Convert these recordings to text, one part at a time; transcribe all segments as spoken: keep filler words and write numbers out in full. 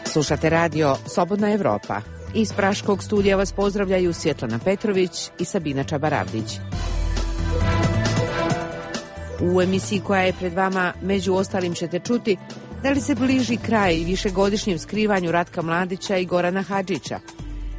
Slušate radio Slobodna Evropa. Iz Praškog studija vas pozdravljaju Svjetlana Petrović i Sabina Čabaravdić. U emisiji koja je pred vama, među ostalim ćete čuti da li se bliži kraj višegodišnjem skrivanju Ratka Mladića i Gorana Hadžića.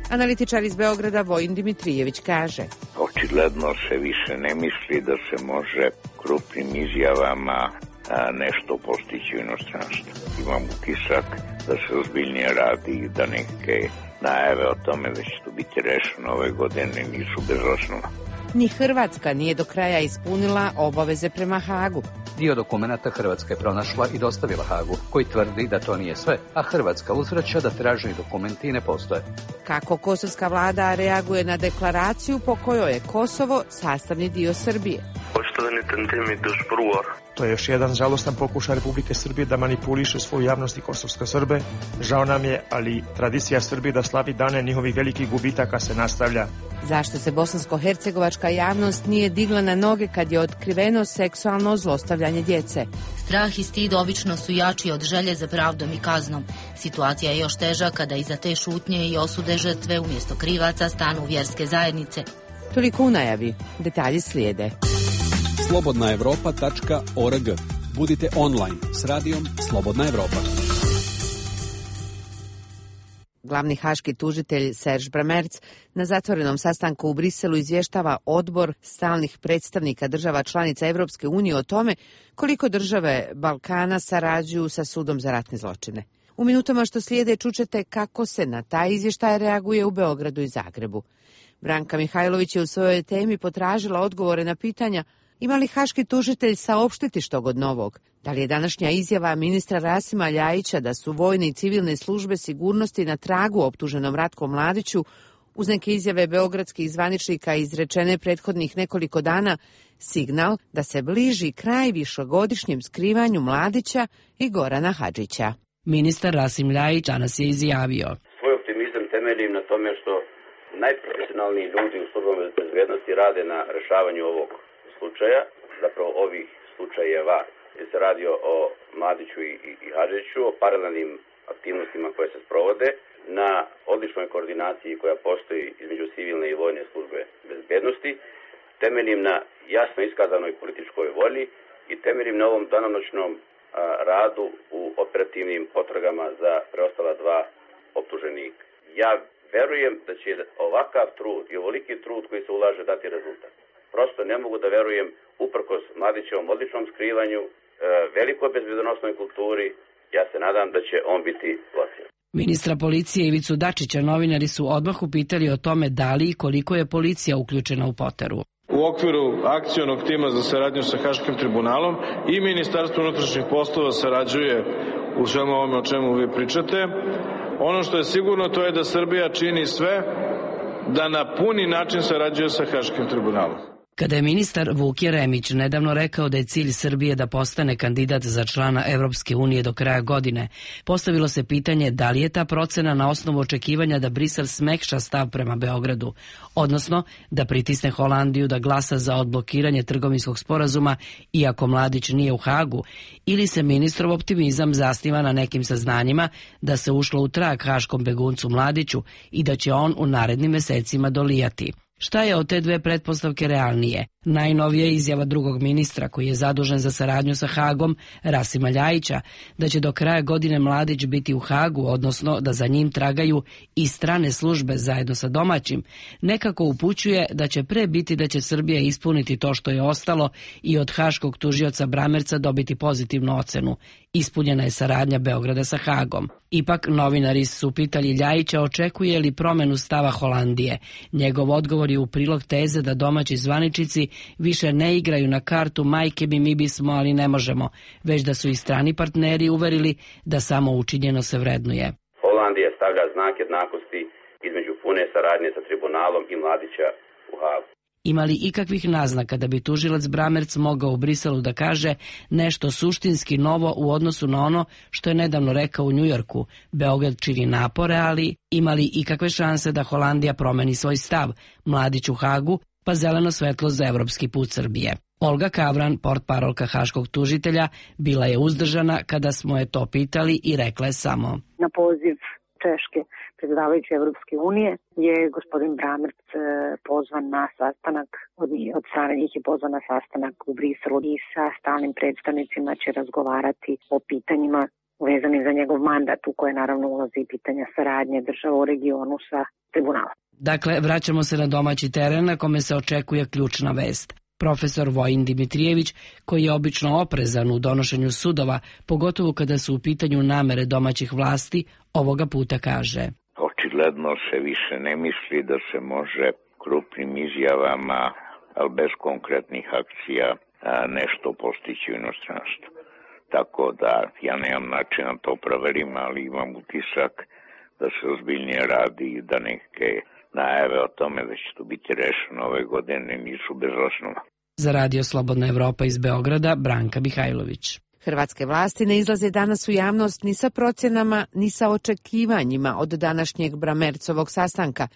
Analitičar iz Beograda Vojin Dimitrijević kaže: očigledno se više ne misli da se može krupnim izjavama a, nešto postići u inostranstvu. Imam utisak da se ozbiljnije radi i da neke najave o tome da će to biti rešeno ove godine nisu bez osnova. Ni Hrvatska nije do kraja ispunila obaveze prema Hagu. Dio dokumenata Hrvatska je pronašla i dostavila Hagu, koji tvrdi da to nije sve, a Hrvatska uzvraća da traženi dokumenti ne postoje. Kako kosovska vlada reaguje na deklaraciju po kojoj je Kosovo sastavni dio Srbije? To je još jedan žalostan pokušaj Republike Srbije da manipuliše svoju javnost i kosovske Srbe. Žao nam je, ali tradicija Srbije da slavi dane njihovih velikih gubitaka se nastavlja. Zašto se bosansko-hercegovačka javnost nije digla na noge kad je otkriveno seksualno zlostavljanje djece? Strah i stid obično su jači od želje za pravdom i kaznom. Situacija je još teža kada iza te šutnje i osude žrtve umjesto krivaca stanu vjerske zajednice. Toliko u najavi. Detalji slijede. slobodna evropa tačka org. Budite online s radijom Slobodna Evropa. Glavni haški tužitelj Serž Bramerc na zatvorenom sastanku u Briselu izvještava odbor stalnih predstavnika država članica Evropske unije o tome koliko države Balkana sarađuju sa sudom za ratne zločine. U minutama što slijede čućete kako se na taj izvještaj reaguje u Beogradu i Zagrebu. Branka Mihajlović je u svojoj temi potražila odgovore na pitanja: ima li haški tužitelj saopštiti što god novog? Da li je današnja izjava ministra Rasima Ljajića da su vojne i civilne službe sigurnosti na tragu optuženom Ratku Mladiću, uz neke izjave beogradskih zvaničnika izrečene prethodnih nekoliko dana, signal da se bliži kraj višegodišnjem skrivanju Mladića i Gorana Hadžića? Ministar Rasim Ljajić danas je izjavio: svoj optimizam temeljim na tome što najprofesionalniji ljudi u službama bezbednosti rade na rešavanju ovog slučaja, zapravo ovih slučajeva, jer se radi o Mladiću i, i, i Hadžiću, o paralelnim aktivnostima koje se sprovode, na odličnoj koordinaciji koja postoji između civilne i vojne službe bezbednosti, temeljim na jasno iskazanoj političkoj volji i temeljim na ovom danonoćnom a, radu u operativnim potragama za preostala dva optuženika. Ja verujem da će ovakav trud i ovoliki trud koji se ulaže dati rezultat. Prosto ne mogu da verujem, uprkos Mladićevom odličnom skrivanju, e, velikoj bezbednosnoj kulturi, ja se nadam da će on biti lociran. Ministra policije Ivicu Dačića novinari su odmah upitali o tome da li i koliko je policija uključena u poteru. U okviru akcionog tima za saradnju sa Haškim tribunalom i Ministarstvo unutrašnjih poslova sarađuje u svemu ovome o čemu vi pričate. Ono što je sigurno to je da Srbija čini sve da na puni način sarađuje sa Haškim tribunalom. Kada je ministar Vuk Jeremić nedavno rekao da je cilj Srbije da postane kandidat za člana Evropske unije do kraja godine, postavilo se pitanje da li je ta procena na osnovu očekivanja da Brisel smekša stav prema Beogradu, odnosno da pritisne Holandiju da glasa za odblokiranje trgovinskog sporazuma iako Mladić nije u Hagu, ili se ministrov optimizam zasniva na nekim saznanjima da se ušlo u trag haškom beguncu Mladiću i da će on u narednim mesecima dolijati. Šta je od te dve pretpostavke realnije? Najnovija izjava drugog ministra koji je zadužen za saradnju sa Hagom, Rasima Ljajića, da će do kraja godine Mladić biti u Hagu, odnosno da za njim tragaju i strane službe zajedno sa domaćim, nekako upućuje da će pre biti da će Srbija ispuniti to što je ostalo i od haškog tužioca Bramerca dobiti pozitivnu ocenu. Ispunjena je saradnja Beograda sa Hagom. Ipak novinari su pitali Ljajića očekuje li promenu stava Holandije. Njegov odgovor je u prilog teze da domaći zvaničici više ne igraju na kartu majke bi mi bismo, ali ne možemo, već da su i strani partneri uverili da samo učinjeno se vrednuje. Holandija stavlja znak jednakosti između pune saradnje sa tribunalom i Mladića u Hagu. Ima li ikakvih naznaka da bi tužilac Bramerc mogao u Briselu da kaže nešto suštinski novo u odnosu na ono što je nedavno rekao u Njujorku? Beograd čini napore, ali ima li ikakve šanse da Holandija promeni svoj stav? Mladić u Hagu pa zeleno svetlo za evropski put Srbije. Olga Kavran, portparolka haškog tužitelja, bila je uzdržana kada smo je to pitali i rekla je samo: Na poziv Češke predsjedavajuće Evropske unije je gospodin Bramerc pozvan na sastanak, od, od strane njih je pozvan na sastanak u Briselu i sa stalnim predstavnicima će razgovarati o pitanjima vezanim za njegov mandat, u koje naravno ulazi pitanja saradnje država u regionu sa tribunalom. Dakle, vraćamo se na domaći teren na kome se očekuje ključna vest. Profesor Vojin Dimitrijević, koji je obično oprezan u donošenju sudova, pogotovo kada su u pitanju namere domaćih vlasti, ovoga puta kaže: Očigledno se više ne misli da se može krupnim izjavama, ali bez konkretnih akcija, nešto postići u inostranstvu. Tako da ja nemam način na to proverim, ali imam utisak da se ozbiljnije radi i da neke najave o tome da će to biti rešeno ove godine nisu bez osnova. Za Radio Slobodna Evropa iz Beograda, Branka Mihajlović. Hrvatske vlasti ne izlaze danas u javnost ni sa procjenama, ni sa očekivanjima od današnjeg Bramercovog sastanka.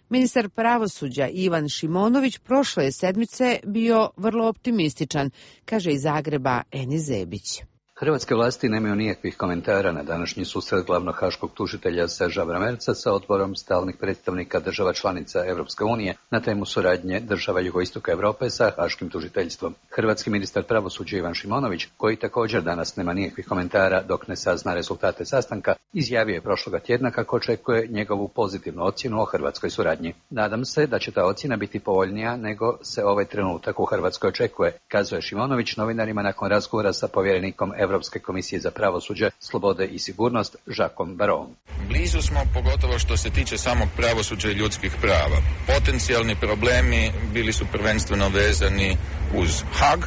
Ministar pravosuđa Ivan Šimonović prošle sedmice bio vrlo optimističan, kaže iz Zagreba Eni Zebić. Hrvatske vlasti nemaju nikakvih komentara na današnji susret glavnog haškog tužitelja Serža Bramerca sa odborom stalnih predstavnika država članica Evropske unije na temu suradnje država jugoistoka Europe sa haškim tužiteljstvom. Hrvatski ministar pravosuđa Ivan Šimonović, koji također danas nema nikakvih komentara dok ne sazna rezultate sastanka, izjavio je prošloga tjedna kako očekuje njegovu pozitivnu ocjenu o hrvatskoj suradnji. Nadam se da će ta ocjena biti povoljnija nego se ovaj trenutak u Hrvatskoj očekuje, kazuje Šimonović novinarima nakon razgovora sa povjerenikom Europske komisije za pravosuđe, slobode i sigurnost Jacquesom Barroom. Blizu smo, pogotovo što se tiče samog pravosuđa i ljudskih prava. Potencijalni problemi bili su prvenstveno vezani uz Haag,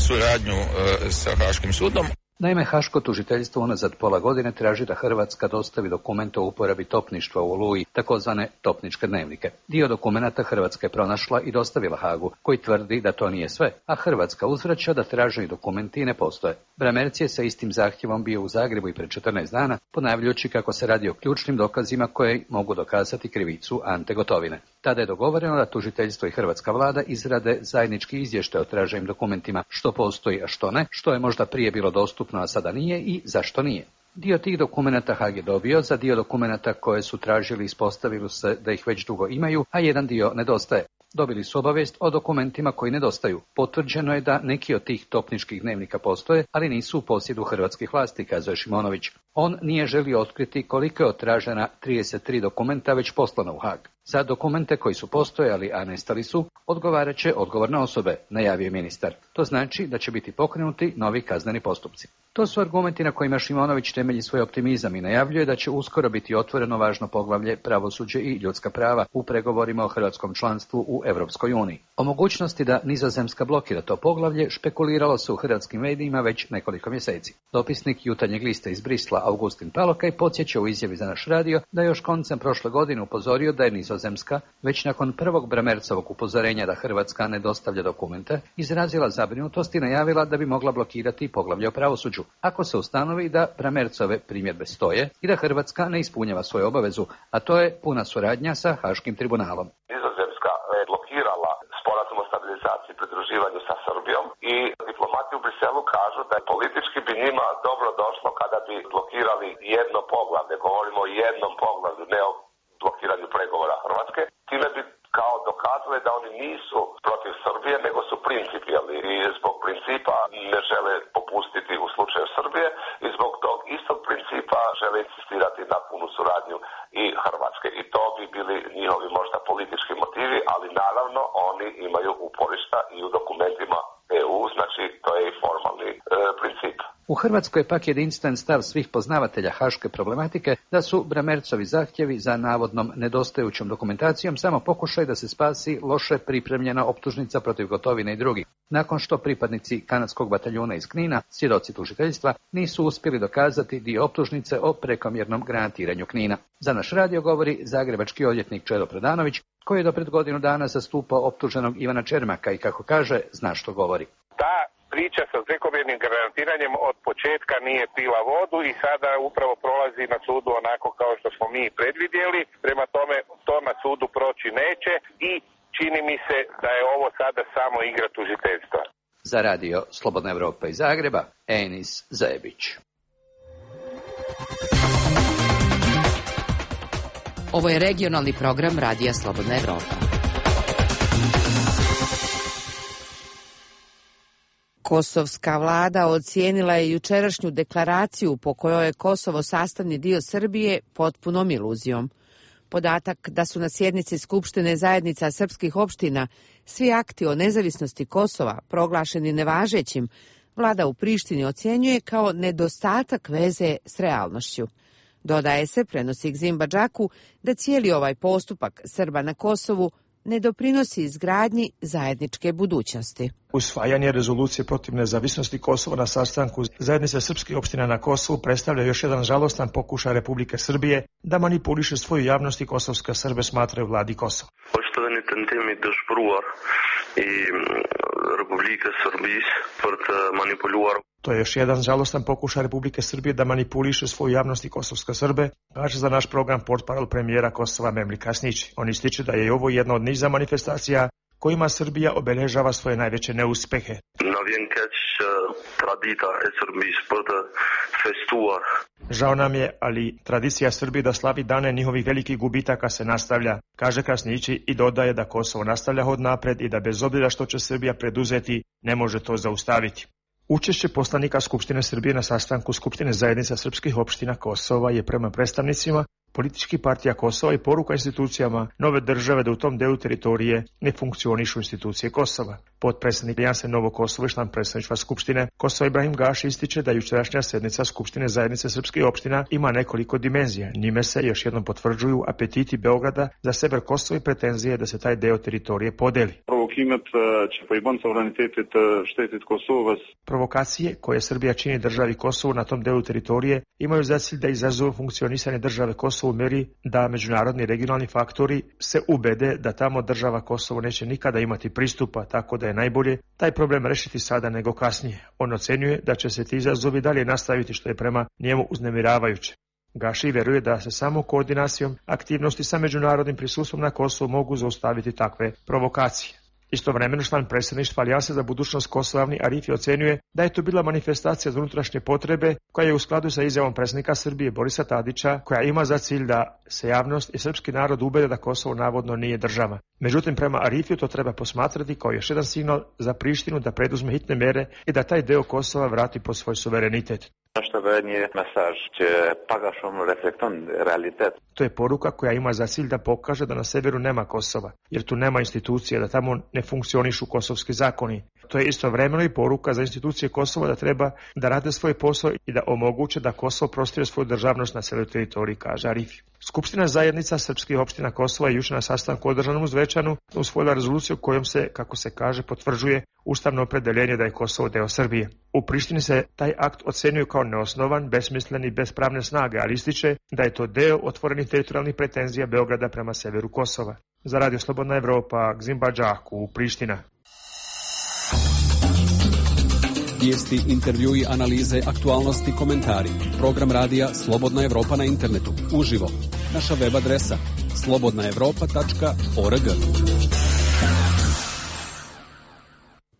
suradnju e, sa Haškim sudom. Naime, haško tužiteljstvo unazad pola godine traži da Hrvatska dostavi dokumente o uporabi topništva u Oluji, takozvane topničke dnevnike. Dio dokumenata Hrvatska je pronašla i dostavila Haagu, koji tvrdi da to nije sve, a Hrvatska uzvraća da traženi dokumenti ne postoje. Bramerc je sa istim zahtjevom bio u Zagrebu i pred četrnaest dana, ponavljajući kako se radi o ključnim dokazima koje mogu dokazati krivicu Ante Gotovine. Tada je dogovoreno da tužiteljstvo i hrvatska vlada izrade zajednički izvještaj o traženim dokumentima, što postoji, a što ne, što je možda prije bilo dostupno, a sada nije i zašto nije. Dio tih dokumenata Haag je dobio, za dio dokumenata koje su tražili ispostavilo se da ih već dugo imaju, a jedan dio nedostaje. Dobili su obavijest o dokumentima koji nedostaju. Potvrđeno je da neki od tih topničkih dnevnika postoje, ali nisu u posjedu hrvatskih vlasti, kazuje Šimonović. On nije želio otkriti koliko je od tražena trideset tri dokumenta već poslano u Haag. Za dokumente koji su postojali, a nestali su, odgovarat će odgovorne osobe, najavio ministar. To znači da će biti pokrenuti novi kazneni postupci. To su argumenti na kojima Šimonović temelji svoj optimizam i najavljuje da će uskoro biti otvoreno važno poglavlje pravosuđe i ljudska prava u pregovorima o hrvatskom članstvu u Europskoj uniji. O mogućnosti da Nizozemska blokira to poglavlje špekuliralo se u hrvatskim medijima već nekoliko mjeseci. Dopisnik Jutarnjeg lista iz Brisla Augustin Palokaj podsjeća u izjavi za naš radio da je još koncem prošle godine upozorio da je Nizozemska, već nakon prvog Bramercovog upozorenja da Hrvatska ne dostavlja dokumente, izrazila zabrinutost i najavila da bi mogla blokirati poglavlje o pravosuđu, ako se ustanovi da Bramercove primjedbe stoje i da Hrvatska ne ispunjava svoju obavezu, a to je puna suradnja sa Haškim tribunalom. Nizozemska je blokirala sporazum o stabilizaciji i pridruživanju sa Srbijom i diplomati u Briselu kažu da je politički bi njima dobro došlo kada bi blokirali jedno poglavlje. Govorimo o jednom poglavlju, ne o blokiranju pregovora Hrvatske. Time bi kao dokazali da oni nisu protiv Srbije, nego su principijalni i zbog principa ne žele popustiti u slučaju Srbije i zbog tog istog principa žele insistirati na punu suradnju i Hrvatske. I to bi bili njihovi možda politički motivi, ali naravno oni imaju uporišta i u dokumentima E U, znači to je i formalni e, princip. U Hrvatskoj je pak jedinstven stav svih poznavatelja haške problematike da su Bramercovi zahtjevi za navodnom nedostajućom dokumentacijom samo pokušaj da se spasi loše pripremljena optužnica protiv Gotovine i drugih, nakon što pripadnici kanadskog bataljuna iz Knina, svjedoci tužiteljstva, nisu uspjeli dokazati dio optužnice o prekomjernom granatiranju Knina. Za naš radio govori zagrebački odvjetnik Čedo Predanović, koji je do pred godinu dana zastupao optuženog Ivana Čermaka i, kako kaže, zna što govori. Ta priča sa prekomjernim granatiranjem od početka nije pila vodu i sada upravo prolazi na sudu onako kao što smo mi predvidjeli. Prema tome, to na sudu proći neće i čini mi se da je ovo sada samo igra tužiteljstva. Za radio Slobodna Evropa iz Zagreba, Enis Zajebić. Ovo je regionalni program Radija Slobodna Evropa. Kosovska vlada ocijenila je jučerašnju deklaraciju po kojoj je Kosovo sastavni dio Srbije potpunom iluzijom. Podatak da su na sjednici Skupštine zajednica srpskih opština svi akti o nezavisnosti Kosova proglašeni nevažećim, vlada u Prištini ocjenjuje kao nedostatak veze s realnošću. Dodaje se, prenosi Gzim Badžaku, da cijeli ovaj postupak Srba na Kosovu ne doprinosi izgradnji zajedničke budućnosti. Usvajanje rezolucije protiv nezavisnosti Kosova na sastanku zajednice srpskih opština na Kosovu predstavlja još jedan žalostan pokušaj Republike Srbije da manipuliše svoju javnost i kosovske Srbe smatraju vladi Kosova. Poštovani tentimi dëshpëruar i Republike Srbije për të manipuluar. To je još jedan žalostan pokušaj Republike Srbije da manipuliše svoju javnost i kosovske Srbe, kaže za naš program portparol premijera Kosova Memli Kasnić. On ističe da je ovo jedna od niza manifestacija kojima Srbija obeležava svoje najveće neuspehe. Na vjen keq tradita e Srbisë për të festuar. Žao nam je, ali tradicija Srbije da slavi dane njihovih velikih gubitaka se nastavlja, kaže Krasnići i dodaje da Kosovo nastavlja hod napred i da bez obzira što će Srbija preduzeti, ne može to zaustaviti. Učešće poslanika Skupštine Srbije na sastanku Skupštine zajednica srpskih opština Kosova je prema predstavnicima političkih partija Kosova i poruka institucijama nove države da u tom delu teritorije ne funkcionišu institucije Kosova. Potpredsjednik Alijanse Novo Kosovo i član predstavništva Skupštine Kosova Ibrahim Gaši ističe da jučerašnja sednica Skupštine zajednice srpskih opština ima nekoliko dimenzija. Njime se još jednom potvrđuju apetiti Beograda za sever Kosova i pretenzije da se taj deo teritorije podeli. Provokacije koje Srbija čini državi Kosovu na tom delu teritorije imaju za cilj da izazovu funkcionisanje države Kosovo u meri da međunarodni regionalni faktori se ubede da tamo država Kosovo neće nikada imati pristupa, tako da je najbolje taj problem rešiti sada nego kasnije. On ocenjuje da će se ti izazovi dalje nastaviti, što je prema njemu uznemiravajuće. Gaši vjeruje da se samo koordinacijom aktivnosti sa međunarodnim prisustvom na Kosovu mogu zaustaviti takve provokacije. Istovremeno član predsjedništva Alijanse za budućnost Kosova Avni Arifi ocenjuje da je to bila manifestacija za unutrašnje potrebe koja je u skladu sa izjavom predsjednika Srbije Borisa Tadića, koja ima za cilj da se javnost i srpski narod ubede da Kosovo navodno nije država. Međutim, prema Arifiju to treba posmatrati kao još jedan signal za Prištinu da preduzme hitne mere i da taj deo Kosova vrati pod svoj suverenitet. To je poruka koja ima za cilj da pokaže da na severu nema Kosova, jer tu nema institucije, da tamo ne funkcionišu kosovski zakoni. To je istovremeno i poruka za institucije Kosova da treba da rade svoj posao i da omoguće da Kosovo prostire svoju državnost na celoj teritoriji, kaže Arifi. Skupština zajednica srpskih opština Kosova je juče na sastanku održanom u Zvečanu usvojila rezoluciju kojom se, kako se kaže, potvrđuje ustavno opredeljenje da je Kosovo deo Srbije. U Prištini se taj akt ocenjuje kao neosnovan, besmislen i bez pravne snage, ali ističe da je to deo otvorenih teritorijalnih pretenzija Beograda prema severu Kosova. Za Radio Slobodna Evropa, Gzim Badžaku, Priština. Vijesti, intervjui, analize, aktualnosti, komentari. Program radija Slobodna Evropa na internetu. Uživo. Naša web adresa slobodna evropa tačka org.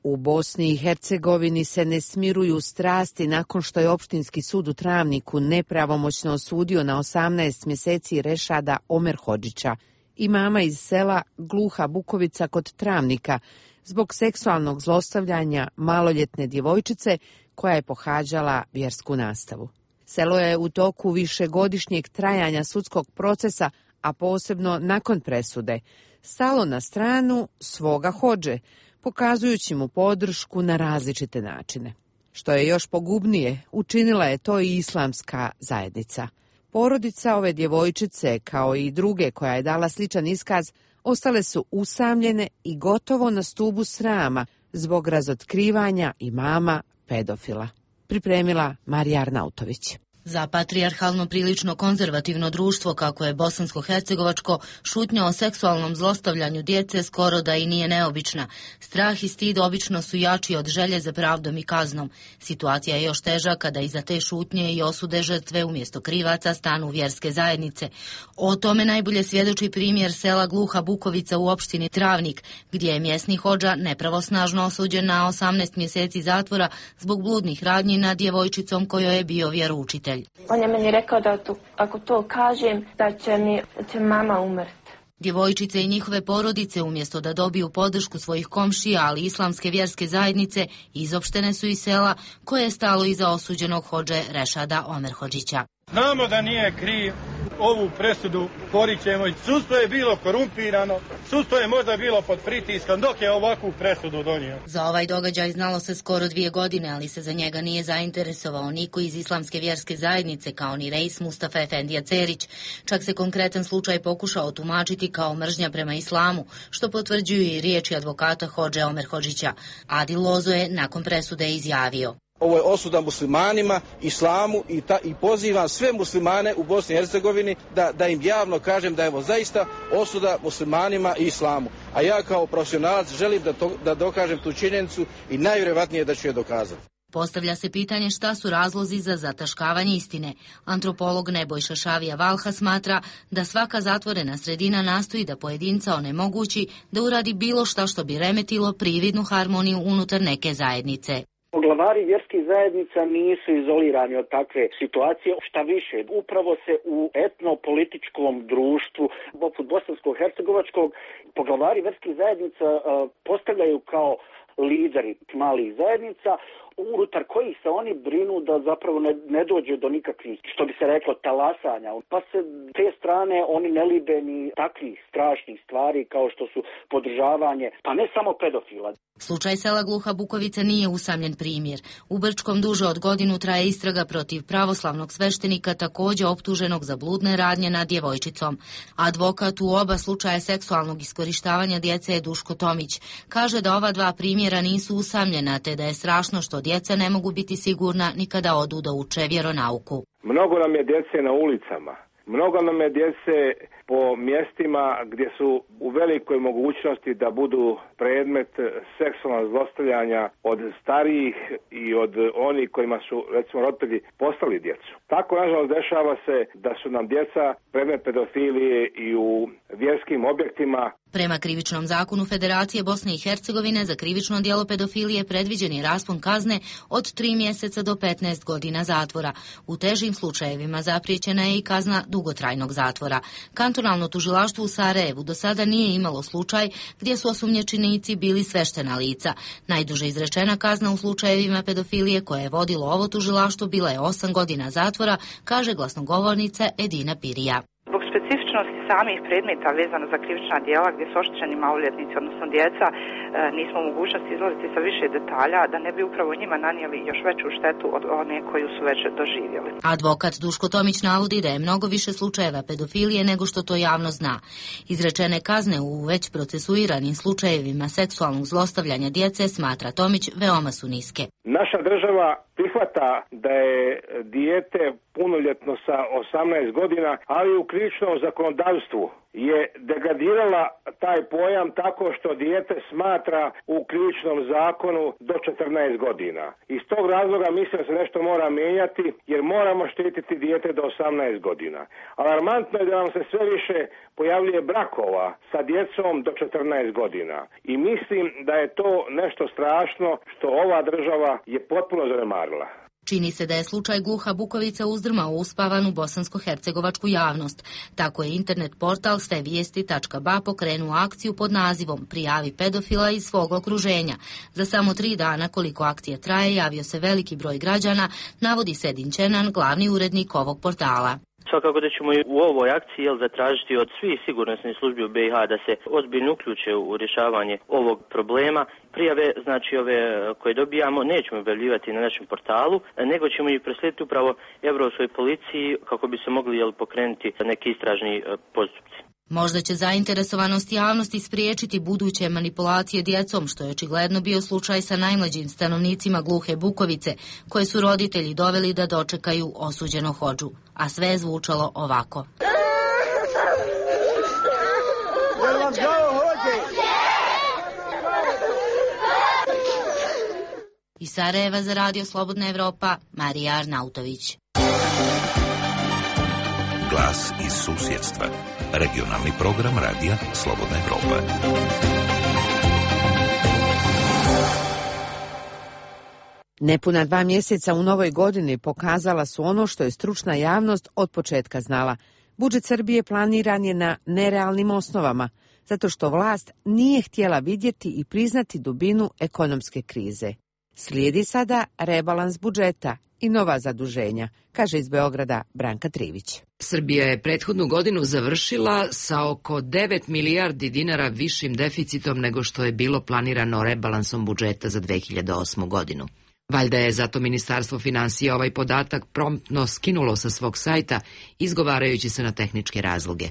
U Bosni i Hercegovini se ne smiruju strasti nakon što je opštinski sud u Travniku nepravomoćno osudio na osamnaest mjeseci Rešada Omer Hodžića, imama iz sela Gluha Bukovica kod Travnika, zbog seksualnog zlostavljanja maloljetne djevojčice koja je pohađala vjersku nastavu. Selo je u toku višegodišnjeg trajanja sudskog procesa, a posebno nakon presude, stalo na stranu svoga hodže, pokazujući mu podršku na različite načine. Što je još pogubnije, učinila je to i islamska zajednica. Porodica ove djevojčice, kao i druge koja je dala sličan iskaz, ostale su usamljene i gotovo na stubu srama zbog razotkrivanja imama pedofila. Pripremila Marija Arnautović. Za patrijarhalno prilično konzervativno društvo, kako je bosansko-hercegovačko, šutnja o seksualnom zlostavljanju djece skoro da i nije neobična. Strah i stid obično su jači od želje za pravdom i kaznom. Situacija je još teža kada iza te šutnje i osude žrtve umjesto krivaca stanu vjerske zajednice. O tome najbolje svjedoči primjer sela Gluha Bukovica u opštini Travnik, gdje je mjesni hodža nepravosnažno osuđen na osamnaest mjeseci zatvora zbog bludnih radnji nad djevojčicom kojoj je bio vjeroučitelj. On je meni rekao da to, ako to kažem, da će mi da će mama umrti. Djevojčice i njihove porodice, umjesto da dobiju podršku svojih komšija, ali islamske vjerske zajednice, izopštene su iz sela koje je stalo iza osuđenog hodže Rešada Omerhodžića. Znamo da nije kriv, ovu presudu porićemo. Sudstvo je bilo korumpirano, sudstvo je možda bilo pod pritiskom dok je ovakvu presudu donio. Za ovaj događaj znalo se skoro dvije godine, ali se za njega nije zainteresovao niko iz islamske vjerske zajednice, kao ni reis Mustafa Efendija Cerić. Čak se konkretan slučaj pokušao tumačiti kao mržnja prema islamu, što potvrđuju i riječi advokata hodže Omerhodžića. Adil Lozo je nakon presude izjavio: Ovo je osuda muslimanima, islamu i, ta, i pozivam sve muslimane u Bosni i Hercegovini da, da im javno kažem da je ovo zaista osuda muslimanima i islamu. A ja kao profesionalac želim da, to, da dokažem tu činjenicu i najvjerojatnije da ću je dokazati. Postavlja se pitanje šta su razlozi za zataškavanje istine. Antropolog Nebojša Šavija Valha smatra da svaka zatvorena sredina nastoji da pojedinca onemogući da uradi bilo šta što bi remetilo prividnu harmoniju unutar neke zajednice. Poglavari vjerskih zajednica nisu izolirani od takve situacije, šta više, upravo se u etnopolitičkom društvu, poput bosansko-hercegovačkog, poglavari vjerskih zajednica uh, postavljaju kao lideri malih zajednica, unutar kojih se oni brinu da zapravo ne, ne dođe do nikakvih, što bi se reklo, talasanja. Pa se te strane oni ne libe ni takvih strašnih stvari kao što su podržavanje, pa ne samo pedofila. Slučaj sela Gluha Bukovica nije usamljen primjer. U Brčkom duže od godinu traje istraga protiv pravoslavnog sveštenika, također optuženog za bludne radnje nad djevojčicom. Advokat u oba slučaja seksualnog iskorištavanja djece je Duško Tomić. Kaže da ova dva primjera nisu usamljena, te da je strašno što djeca ne mogu biti sigurna ni kada odu da uče vjeronauku. Mnogo nam je djece na ulicama. Mnogo nam je djece po mjestima gdje su u velikoj mogućnosti da budu predmet seksualnog zlostavljanja od starijih i od onih kojima su, recimo, roditelji postali djecu. Tako, nažalost, dešava se da su nam djeca predmet pedofilije i u vjerskim objektima. Prema krivičnom zakonu Federacije Bosne i Hercegovine za krivično djelo pedofilije predviđen je raspon kazne od tri mjeseca do petnaest godina zatvora. U težim slučajevima zapriječena je i kazna dugotrajnog zatvora. Kantonalno tužilaštvo u Sarajevu do sada nije imalo slučaj gdje su osumnjičenici bili sveštena lica. Najduže izrečena kazna u slučajevima pedofilije koje je vodilo ovo tužilaštvo bila je osam godina zatvora, kaže glasnogovornica Edina Pirija. Zbog specifičnosti samih predmeta vezano za krivična djela gdje su oštećeni maloljetnici, odnosno djeca, nismo u mogućnosti izlaziti sa više detalja da ne bi upravo njima nanijeli još veću štetu od one koju su već doživjeli. Advokat Duško Tomić navodi da je mnogo više slučajeva pedofilije nego što to javno zna. Izrečene kazne u već procesuiranim slučajevima seksualnog zlostavljanja djece, smatra Tomić, veoma su niske. Naša država prihvata da je dijete punoljetno sa osamnaest godina, ali u krivičnom zakonodavstvu je degradirala taj pojam tako što dijete smatra u krivičnom zakonu do četrnaest godina. Iz tog razloga mislim da se nešto mora mijenjati jer moramo štititi dijete do osamnaest godina. Alarmantno je da nam se sve više pojavljuje brakova sa djecom do četrnaest godina i mislim da je to nešto strašno što ova država je potpuno zanemarila. Čini se da je slučaj Gluha Bukovica uzdrmao uspavanu bosansko-hercegovačku javnost. Tako je internet portal sve vijesti tačka ba pokrenuo akciju pod nazivom Prijavi pedofila iz svog okruženja. Za samo tri dana koliko akcija traje javio se veliki broj građana, navodi Sedin Čenan, glavni urednik ovog portala. Svakako da ćemo i u ovoj akciji jel, zatražiti od svih sigurnosnih službi u B i H da se ozbiljno uključe u rješavanje ovog problema. Prijave, znači ove koje dobijamo, nećemo objavljivati na našem portalu, nego ćemo ih proslijediti upravo Europskoj policiji kako bi se mogli jel, pokrenuti neki istražni postupci. Možda će zainteresovanost javnosti spriječiti buduće manipulacije djecom, što je očigledno bio slučaj sa najmlađim stanovnicima Gluhe Bukovice, koje su roditelji doveli da dočekaju osuđeno hodžu. A sve je zvučalo ovako. Iz Sarajeva za Radio Slobodna Evropa, Marija Arnautović. Glas iz susjedstva. Regionalni program Radija Slobodna Evropa. Nepuna dva mjeseca u novoj godini pokazala su ono što je stručna javnost od početka znala. Budžet Srbije planiran je na nerealnim osnovama, zato što vlast nije htjela vidjeti i priznati dubinu ekonomske krize. Slijedi sada rebalans budžeta i nova zaduženja, kaže iz Beograda Branka Trivić. Srbija je prethodnu godinu završila sa oko devet milijardi dinara višim deficitom nego što je bilo planirano rebalansom budžeta za dve hiljade osmu godinu. Valjda je zato Ministarstvo finansija ovaj podatak promptno skinulo sa svog sajta, izgovarajući se na tehničke razloge.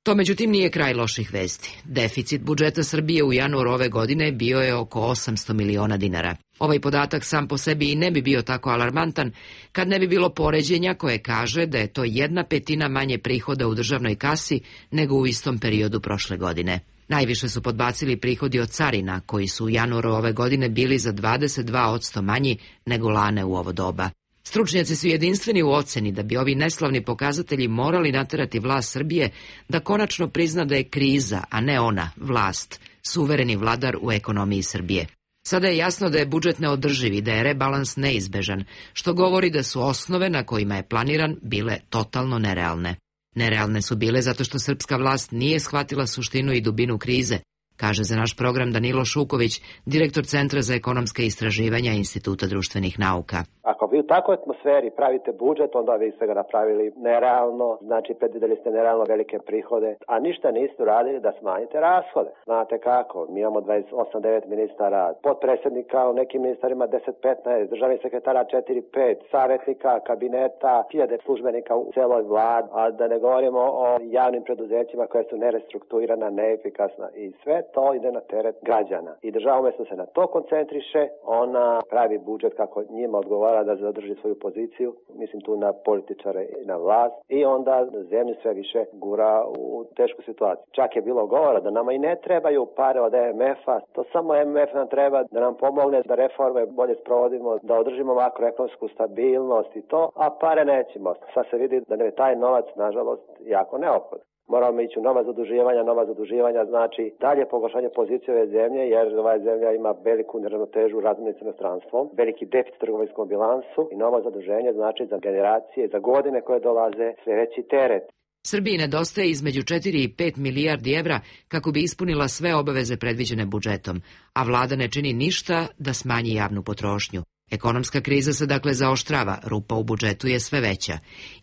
To međutim nije kraj loših vesti. Deficit budžeta Srbije u januaru ove godine bio je oko osamsto miliona dinara. Ovaj podatak sam po sebi i ne bi bio tako alarmantan kad ne bi bilo poređenja koje kaže da je to jedna petina manje prihoda u državnoj kasi nego u istom periodu prošle godine. Najviše su podbacili prihodi od carina, koji su u januaru ove godine bili za dvadeset dva posto manji nego lane u ovo doba. Stručnjaci su jedinstveni u oceni da bi ovi neslavni pokazatelji morali naterati vlast Srbije da konačno prizna da je kriza, a ne ona, vlast, suvereni vladar u ekonomiji Srbije. Sada je jasno da je budžet neodrživ i da je rebalans neizbežan, što govori da su osnove na kojima je planiran bile totalno nerealne. Nerealne su bile zato što srpska vlast nije shvatila suštinu i dubinu krize, kaže za naš program Danilo Šuković, direktor Centra za ekonomska istraživanja Instituta društvenih nauka. Ako vi u takvoj atmosferi pravite budžet, onda vi ste ga napravili nerealno, znači predvidjeli ste nerealno velike prihode, a ništa niste uradili da smanjite rashode. Znate kako, mi imamo dvadeset osam devet ministara, potpredsjednika u nekim ministarima deset petnaest, državnih sekretara četiri pet, savjetnika, kabineta, hiljade službenika u celoj vladi, a da ne govorimo o javnim preduzećima koje su nerestrukturirana, neefikasna i sve to ide na teret građana. I država umjesto se na to koncentriše, ona pravi budžet kako njima odgovara da zadrži svoju poziciju, mislim tu na političare i na vlast, i onda zemlju sve više gura u tešku situaciju. Čak je bilo govora da nama i ne trebaju pare od em ef a, to samo em ef nam treba da nam pomogne da reforme bolje sprovodimo, da održimo makroekonomsku stabilnost i to, a pare nećemo. Sad se vidi da nam je taj novac, nažalost, jako neophodan. Moramo ići u nova zaduživanja, nova zaduživanja znači dalje pogoršanje pozicije ove zemlje, jer ova zemlja ima veliku neravnotežu u razmjeni s inostranstvom, veliki deficit u trgovinskom bilansu i novo zaduženje znači za generacije, za godine koje dolaze sve veći teret. Srbiji nedostaje između četiri i pet milijardi evra kako bi ispunila sve obaveze predviđene budžetom, a vlada ne čini ništa da smanji javnu potrošnju. Ekonomska kriza se dakle zaoštrava, rupa u budžetu je sve veća.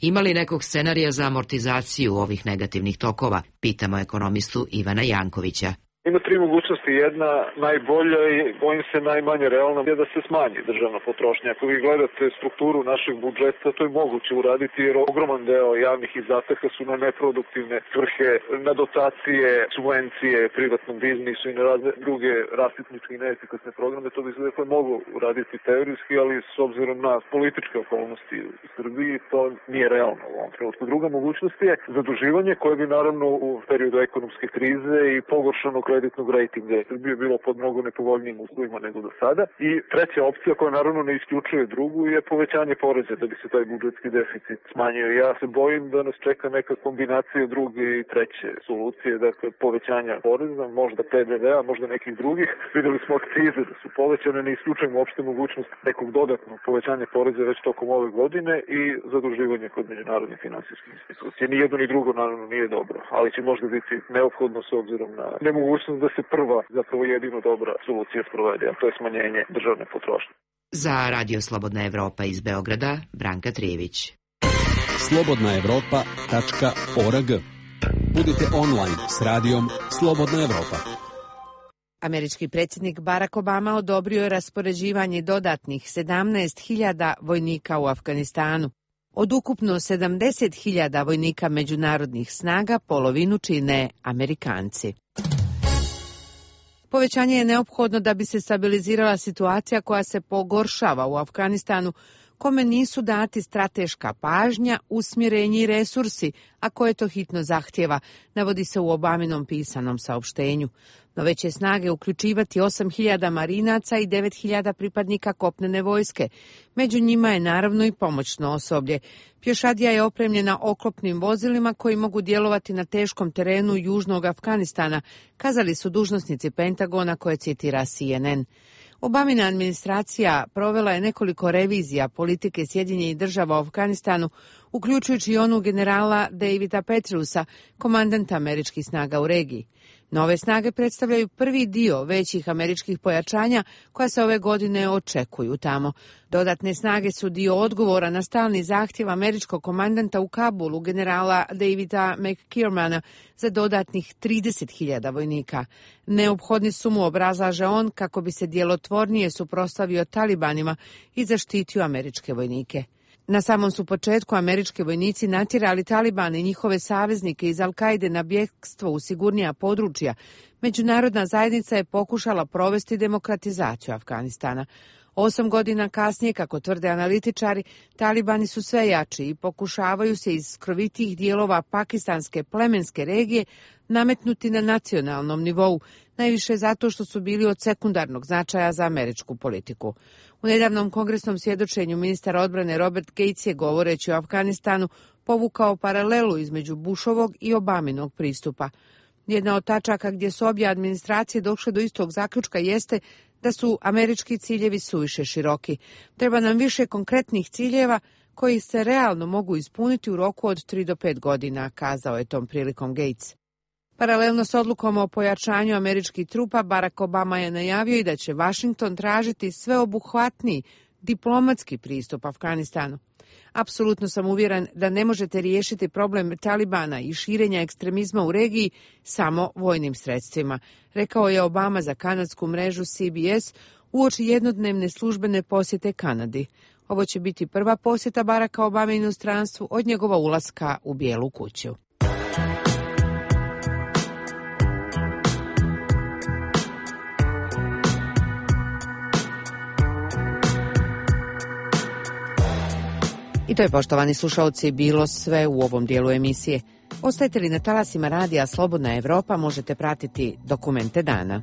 Ima li nekog scenarija za amortizaciju ovih negativnih tokova? Pitamo ekonomistu Ivana Jankovića. Ima tri mogućnosti. Jedna najbolja i bojim se najmanje realna je da se smanji državna potrošnja. Ako vi gledate strukturu našeg budžeta, to je moguće uraditi jer ogroman deo javnih izdataka su na neproduktivne svrhe, na dotacije, subvencije privatnom biznisu i na razne druge rasipničke i neefikasne programe. To bi se dakle moglo uraditi teorijski, ali s obzirom na političke okolnosti u Srbiji to nije realno u ovom trenutku. Druga mogućnost je zaduživanje koje bi naravno u periodu ekonomske krize i pogoršanog kreditnog rejtinga Srbije bilo pod mnogo nepovoljnijim uslovima nego do sada. I treća opcija koja naravno ne isključuje drugu je povećanje poreza da bi se taj budžetski deficit smanjio. Ja se bojim da nas čeka neka kombinacija druge i treće solucije, dakle povećanja poreza, možda pe de ve a, možda nekih drugih. Videli smo akcize da su povećane, ne isključujemo uopšte mogućnost nekog dodatnog povećanja poreza već tokom ove godine i zaduživanje kod međunarodnih finansijskih institucija. Ni jedno ni drugo naravno nije dobro, ali će možda biti neophodno s obzirom na nemogućnost da se prva, zapravo jedino dobra solucija sprovede, a to je smanjenje državne potrošnje. Za Radio Slobodna Evropa iz Beograda, Branka Trijević. slobodna evropa tačka org. Budite online s radijom Slobodna Evropa. Američki predsjednik Barack Obama odobrio je raspoređivanje dodatnih sedamnaest hiljada vojnika u Afganistanu. Od ukupno sedamdeset hiljada vojnika međunarodnih snaga polovinu čine Amerikanci. Povećanje je neophodno da bi se stabilizirala situacija koja se pogoršava u Afganistanu, kome nisu dati strateška pažnja, usmjerenje i resursi, a koje to hitno zahtjeva, navodi se u Obaminom pisanom saopštenju. Nove će snage uključivati osam hiljada marinaca i devet hiljada pripadnika kopnene vojske. Među njima je naravno i pomoćno osoblje. Pješadija je opremljena oklopnim vozilima koji mogu djelovati na teškom terenu južnog Afganistana, kazali su dužnosnici Pentagona koje citira C N N. Obamina administracija provela je nekoliko revizija politike Sjedinjenih država u Afganistanu, uključujući i onu generala Davida Petreusa, komandanta američkih snaga u regiji. Nove snage predstavljaju prvi dio većih američkih pojačanja koja se ove godine očekuju tamo. Dodatne snage su dio odgovora na stalni zahtjev američkog komandanta u Kabulu, generala Davida McKiermana, za dodatnih trideset hiljada vojnika. Neophodni su mu, obrazlaže on, kako bi se djelotvornije suprotstavio talibanima i zaštitio američke vojnike. Na samom su početku američki vojnici natjerali Talibane i njihove saveznike iz Al-Kaide na bjegstvo u sigurnija područja. Međunarodna zajednica je pokušala provesti demokratizaciju Afganistana. Osam godina kasnije, kako tvrde analitičari, Talibani su sve jači i pokušavaju se iz skrovitijih dijelova pakistanske plemenske regije nametnuti na nacionalnom nivou, najviše zato što su bili od sekundarnog značaja za američku politiku. U nedavnom kongresnom svjedočenju ministar odbrane Robert Gates je, govoreći o Afganistanu, povukao paralelu između Bushovog i Obaminog pristupa. Jedna od tačaka gdje su obje administracije došle do istog zaključka jeste da su američki ciljevi suviše široki. Treba nam više konkretnih ciljeva koji se realno mogu ispuniti u roku od tri do pet godina, kazao je tom prilikom Gates. Paralelno s odlukom o pojačanju američkih trupa, Barack Obama je najavio i da će Washington tražiti sveobuhvatniji diplomatski pristup Afganistanu. Apsolutno sam uvjeren da ne možete riješiti problem Talibana i širenja ekstremizma u regiji samo vojnim sredstvima, rekao je Obama za kanadsku mrežu C B S uoči jednodnevne službene posjete Kanadi. Ovo će biti prva posjeta Baracka Obame inostranstvu od njegova ulaska u Bijelu kuću. I to je, poštovani slušalci, bilo sve u ovom dijelu emisije. Ostajete li na talasima radija Slobodna Evropa, možete pratiti Dokumente dana.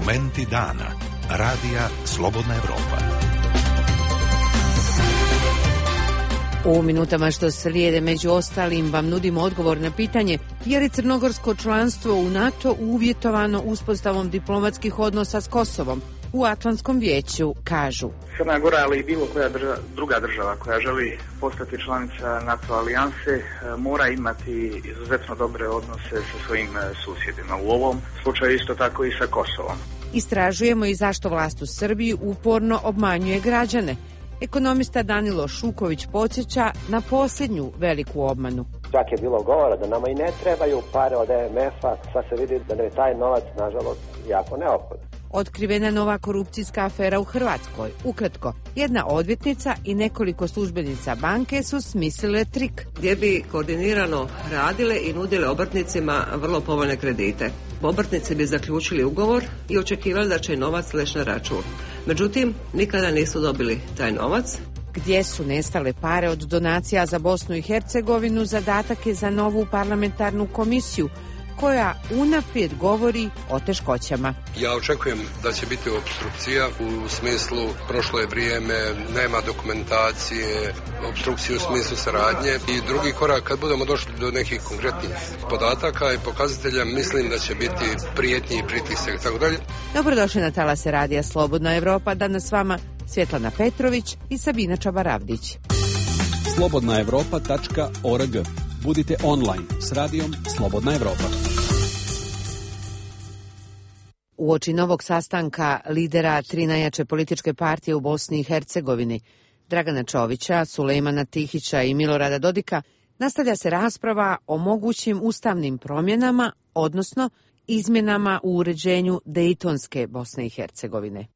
Dokumenti dana. Radija Slobodna Evropa. U minutama što slijede među ostalim vam nudimo odgovor na pitanje je li crnogorsko članstvo u NATO uvjetovano uspostavom diplomatskih odnosa s Kosovom. U Atlantskom vijeću kažu: Crna Gora, ali i bilo koja država, druga država koja želi postati članica NATO alijanse mora imati izuzetno dobre odnose sa svojim susjedima. U ovom slučaju isto tako i sa Kosovom. Istražujemo i zašto vlast u Srbiji uporno obmanjuje građane. Ekonomista Danilo Šuković podsjeća na posljednju veliku obmanu. Čak je bilo govora da nama i ne trebaju pare od E M F-a, sad se vidi da je taj novac, nažalost, jako neophodan. Otkrivena nova korupcijska afera u Hrvatskoj. Ukratko, jedna odvjetnica i nekoliko službenica banke su smislile trik gdje bi koordinirano radile i nudile obrtnicima vrlo povoljne kredite. Obrtnici bi zaključili ugovor i očekivali da će novac leći na račun. Međutim, nikada nisu dobili taj novac. Gdje su nestale pare od donacija za Bosnu i Hercegovinu, zadatak je za novu parlamentarnu komisiju koja unaprijed govori o teškoćama. Ja očekujem da će biti opstrukcija u smislu prošlo je vrijeme, nema dokumentacije, opstrukcije u smislu saradnje i drugi korak kad budemo došli do nekih konkretnih podataka i pokazatelja, mislim da će biti prijetnji i pritisak i tako dalje. Dobrodošli na talase Radija Slobodna Evropa, danas s vama Svjetlana Petrović i Sabina Čabaravdić. slobodna evropa tačka org. Budite online s radijom Slobodna Evropa. Uoči novog sastanka lidera tri najjače političke partije u Bosni i Hercegovini, Dragana Čovića, Sulejmana Tihića i Milorada Dodika, nastavlja se rasprava o mogućim ustavnim promjenama, odnosno izmjenama u uređenju Dejtonske Bosne i Hercegovine.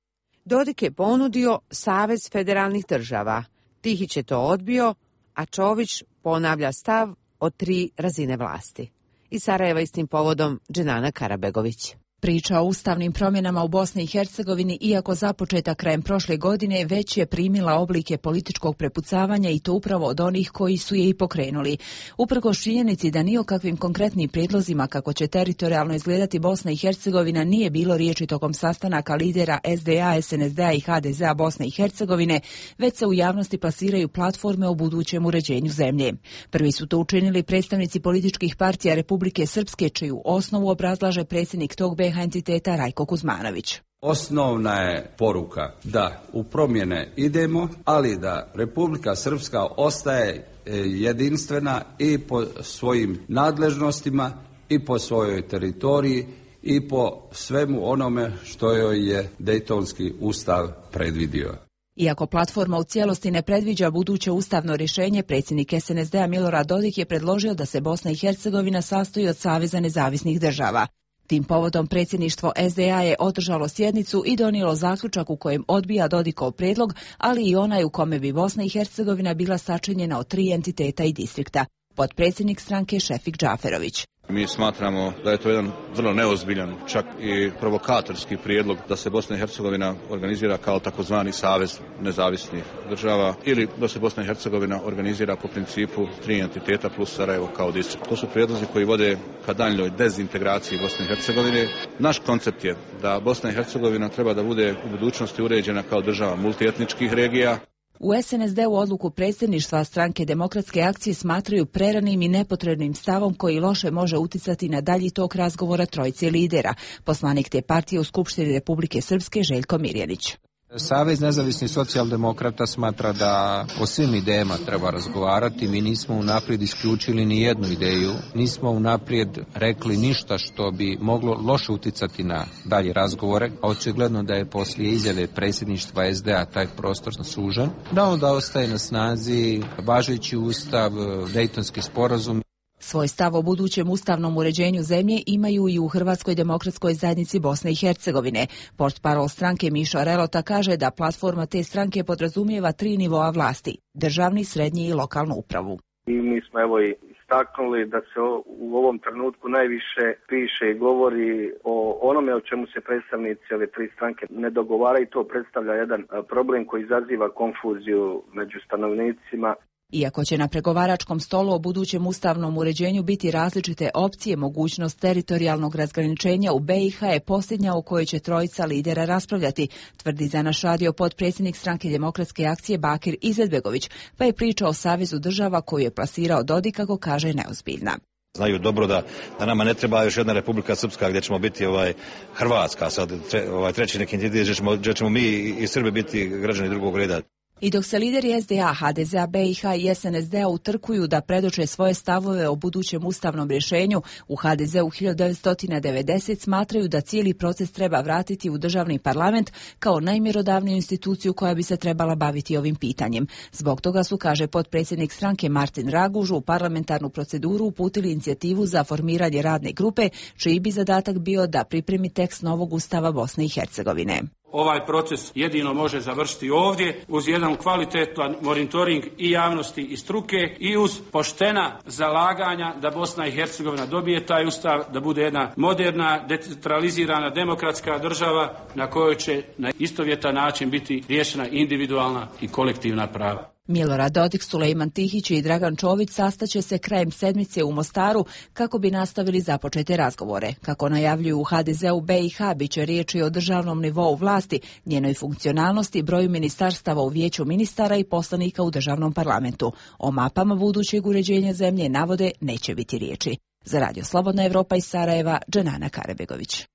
Dodik je ponudio Savez federalnih država. Tihić je to odbio, a Čović ponavlja stav o tri razine vlasti. Iz Sarajeva istim povodom Dženana Karabegović. Priča o ustavnim promjenama u Bosni i Hercegovini, iako započeta krajem prošle godine, već je primila oblike političkog prepucavanja i to upravo od onih koji su je i pokrenuli. Uprkos činjenici da ni o kakvim konkretnim prijedlozima kako će teritorijalno izgledati Bosna i Hercegovina nije bilo riječi tokom sastanaka lidera S D A, S N S D-a i H D Z-a Bosne i Hercegovine, već se u javnosti plasiraju platforme o budućem uređenju zemlje. Prvi su to učinili predstavnici političkih partija Republike Srpske, čiju osnovu obrazlaže predsjednik tog B iH entiteta Rajko Kuzmanović. Osnovna je poruka da u promjene idemo, ali da Republika Srpska ostaje jedinstvena i po svojim nadležnostima i po svojoj teritoriji i po svemu onome što joj je Dejtonski ustav predvidio. Iako platforma u cijelosti ne predviđa buduće ustavno rješenje, predsjednik S N S D-a Milorad Dodik je predložio da se Bosna i Hercegovina sastoji od Saveza nezavisnih država. Tim povodom predsjedništvo S D A je održalo sjednicu i donijelo zaključak u kojem odbija Dodikov prijedlog, ali i onaj u kome bi Bosna i Hercegovina bila sačinjena od tri entiteta i distrikta. Potpredsjednik stranke Šefik Džaferović. Mi smatramo da je to jedan vrlo neozbiljan, čak i provokatorski prijedlog da se Bosna i Hercegovina organizira kao takozvani savez nezavisnih država ili da se Bosna i Hercegovina organizira po principu tri entiteta plus Sarajevo kao distrikt. To su prijedlozi koji vode ka daljnjoj dezintegraciji Bosne i Hercegovine. Naš koncept je da Bosna i Hercegovina treba da bude u budućnosti uređena kao država multietničkih regija. U S N S D-u odluku predsjedništva stranke Demokratske akcije smatraju preranim i nepotrebnim stavom koji loše može uticati na dalji tok razgovora trojice lidera. Poslanik te partije u Skupštini Republike Srpske Željko Mirjanić. Savez nezavisnih socijaldemokrata smatra da o svim idejama treba razgovarati. Mi nismo unaprijed isključili ni jednu ideju, nismo unaprijed rekli ništa što bi moglo loše uticati na dalje razgovore. Očigledno da je poslije izjave predsjedništva S D A taj prostor sužen, da onda ostaje na snazi važeći ustav, Dejtonski sporazum. Svoj stav o budućem ustavnom uređenju zemlje imaju i u Hrvatskoj demokratskoj zajednici Bosne i Hercegovine. Portparol stranke Mišo Relota kaže da platforma te stranke podrazumijeva tri nivoa vlasti: državni, srednji i lokalnu upravu. I mi smo evo i istaknuli da se u ovom trenutku najviše piše i govori o onome o čemu se predstavnici ove tri stranke ne dogovaraju. To predstavlja jedan problem koji izaziva konfuziju među stanovnicima. Iako će na pregovaračkom stolu o budućem ustavnom uređenju biti različite opcije, mogućnost teritorijalnog razgraničenja u B i H je posljednja o kojoj će trojica lidera raspravljati, tvrdi za naš radio potpredsjednik Stranke demokratske akcije Bakir Izetbegović, pa je priča o Savezu država koju je plasirao Dodik, kako kaže, neozbiljna. Znaju dobro da, da nama ne treba još jedna Republika Srpska gdje ćemo biti ovaj Hrvatska, sad tre, ovaj treći neki entitet gdje ćemo, gdje ćemo mi i Srbi biti građani drugog reda. I dok se lideri S D A, H D Z A, B i H i S N S D-a utrkuju da predoče svoje stavove o budućem ustavnom rješenju, u H D Z-u hiljadu devetsto devedeset smatraju da cijeli proces treba vratiti u državni parlament kao najmjerodavniju instituciju koja bi se trebala baviti ovim pitanjem. Zbog toga su, kaže potpredsjednik stranke Martin Raguž, u parlamentarnu proceduru uputili inicijativu za formiranje radne grupe, čiji bi zadatak bio da pripremi tekst novog ustava Bosne i Hercegovine. Ovaj proces jedino može završiti ovdje uz jedan kvalitetan monitoring i javnosti i struke i uz poštena zalaganja da Bosna i Hercegovina dobije taj ustav, da bude jedna moderna, decentralizirana, demokratska država na kojoj će na istovjetan način biti riješena individualna i kolektivna prava. Milorad Dodik, Sulejman Tihić i Dragan Čović sastaće se krajem sedmice u Mostaru kako bi nastavili započete razgovore. Kako najavljuju u H D Z-u B i H, bit će riječi o državnom nivou vlasti, njenoj funkcionalnosti, broju ministarstava u vijeću ministara i poslanika u državnom parlamentu. O mapama budućeg uređenja zemlje, navode, neće biti riječi. Za Radio Slobodna Evropa iz Sarajeva, Dženana Karebegović.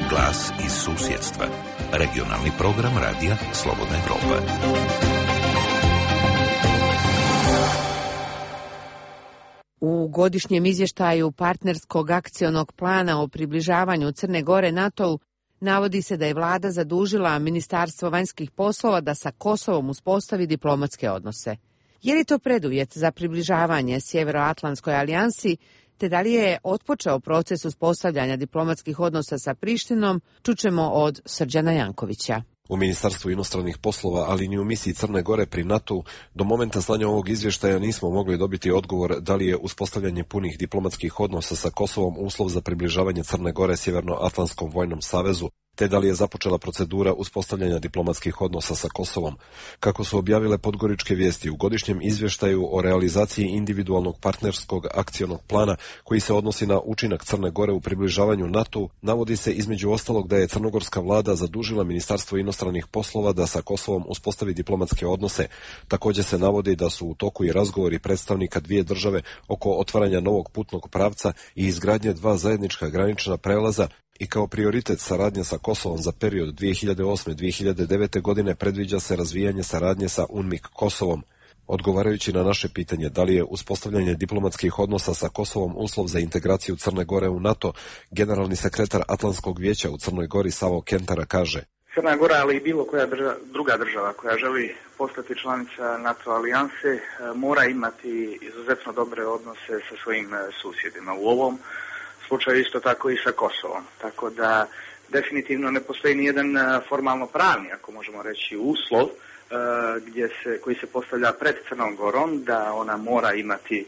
Glas iz susjedstva. Regionalni program radija Slobodna Evropa. U godišnjem izvještaju partnerskog akcionog plana o približavanju Crne Gore NATO-u navodi se da je vlada zadužila Ministarstvo vanjskih poslova da sa Kosovom uspostavi diplomatske odnose. Je li to preduvjet za približavanje Sjevernoatlantskoj alijansi, te da li je otpočeo proces uspostavljanja diplomatskih odnosa sa Prištinom, čućemo od Srđana Jankovića. U Ministarstvu inostranih poslova, ali ni u misiji Crne Gore pri NATO-u, do momenta slanja ovog izvještaja nismo mogli dobiti odgovor da li je uspostavljanje punih diplomatskih odnosa sa Kosovom uslov za približavanje Crne Gore Sjevernoatlantskom vojnom savezu, te da li je započela procedura uspostavljanja diplomatskih odnosa sa Kosovom. Kako su objavile Podgoričke vijesti, u godišnjem izvještaju o realizaciji individualnog partnerskog akcionog plana koji se odnosi na učinak Crne Gore u približavanju NATO-u, navodi se između ostalog da je crnogorska vlada zadužila Ministarstvo inostranih poslova da sa Kosovom uspostavi diplomatske odnose. Također se navodi da su u toku i razgovori predstavnika dvije države oko otvaranja novog putnog pravca i izgradnje dva zajednička granična prelaza, i kao prioritet saradnje sa Kosovom za period dvije hiljade osme do dvije hiljade devete. godine predviđa se razvijanje saradnje sa UNMIK Kosovom. Odgovarajući na naše pitanje da li je uspostavljanje diplomatskih odnosa sa Kosovom uslov za integraciju Crne Gore u NATO, generalni sekretar Atlantskog vijeća u Crnoj Gori Savo Kentara kaže: Crna Gora, ali i bilo koja država, druga država koja želi postati članica NATO alijanse, mora imati izuzetno dobre odnose sa svojim susjedima. U ovom slučaju isto tako i sa Kosovom. Tako da definitivno ne postoji nijedan formalno pravni, ako možemo reći, uslov gdje se, koji se postavlja pred Crnom Gorom da ona mora imati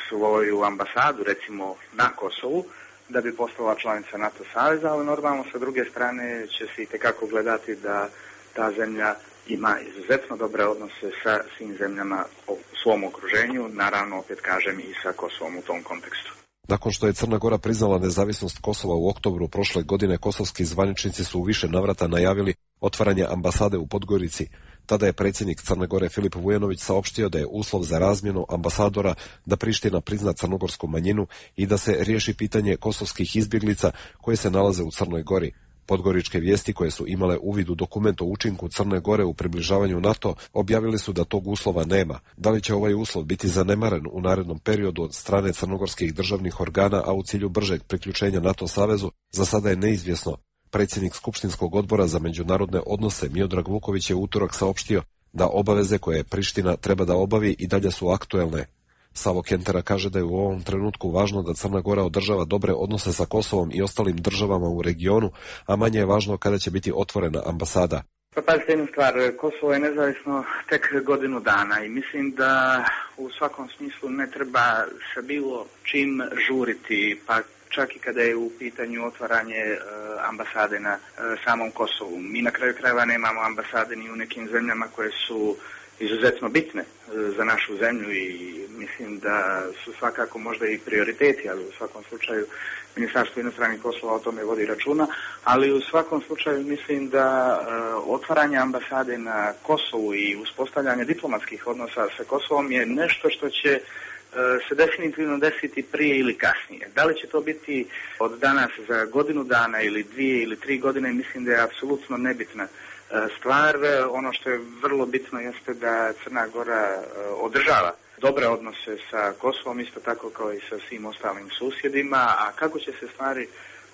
svoju ambasadu, recimo na Kosovu, da bi postala članica NATO saveza, ali normalno sa druge strane će se itekako gledati da ta zemlja ima izuzetno dobre odnose sa svim zemljama u svom okruženju, naravno opet kažem i sa Kosovom u tom kontekstu. Nakon što je Crna Gora priznala nezavisnost Kosova u oktobru prošle godine, kosovski zvaničnici su u više navrata najavili otvaranje ambasade u Podgorici. Tada je predsjednik Crne Gore Filip Vujanović saopštio da je uslov za razmjenu ambasadora da Priština prizna crnogorsku manjinu i da se riješi pitanje kosovskih izbjeglica koje se nalaze u Crnoj Gori. Podgoričke vijesti, koje su imale uvid u dokument o učinku Crne Gore u približavanju NATO, objavili su da tog uslova nema. Da li će ovaj uslov biti zanemaren u narednom periodu od strane crnogorskih državnih organa, a u cilju bržeg priključenja NATO savezu, za sada je neizvjesno. Predsjednik Skupštinskog odbora za međunarodne odnose Miodrag Vuković je utorak saopštio da obaveze koje Priština treba da obavi i dalje su aktuelne. Savo Kentera kaže da je u ovom trenutku važno da Crna Gora održava dobre odnose sa Kosovom i ostalim državama u regionu, a manje je važno kada će biti otvorena ambasada. Pa pazite jednu stvar, Kosovo je nezavisno tek godinu dana i mislim da u svakom smislu ne treba sa bilo čim žuriti, pa čak i kada je u pitanju otvaranje e, ambasade na e, samom Kosovu. Mi na kraju krajeva nemamo ambasade ni u nekim zemljama koje su izuzetno bitne e, za našu zemlju i mislim da su svakako možda i prioriteti, ali u svakom slučaju Ministarstvo inostranih poslova o tome vodi računa, ali u svakom slučaju mislim da e, otvaranje ambasade na Kosovu i uspostavljanje diplomatskih odnosa sa Kosovom je nešto što će e, se definitivno desiti prije ili kasnije. Da li će to biti od danas za godinu dana ili dvije ili tri godine, mislim da je apsolutno nebitna stvar. Ono što je vrlo bitno jeste da Crna Gora održava dobre odnose sa Kosovom, isto tako kao i sa svim ostalim susjedima, a kako će se stvari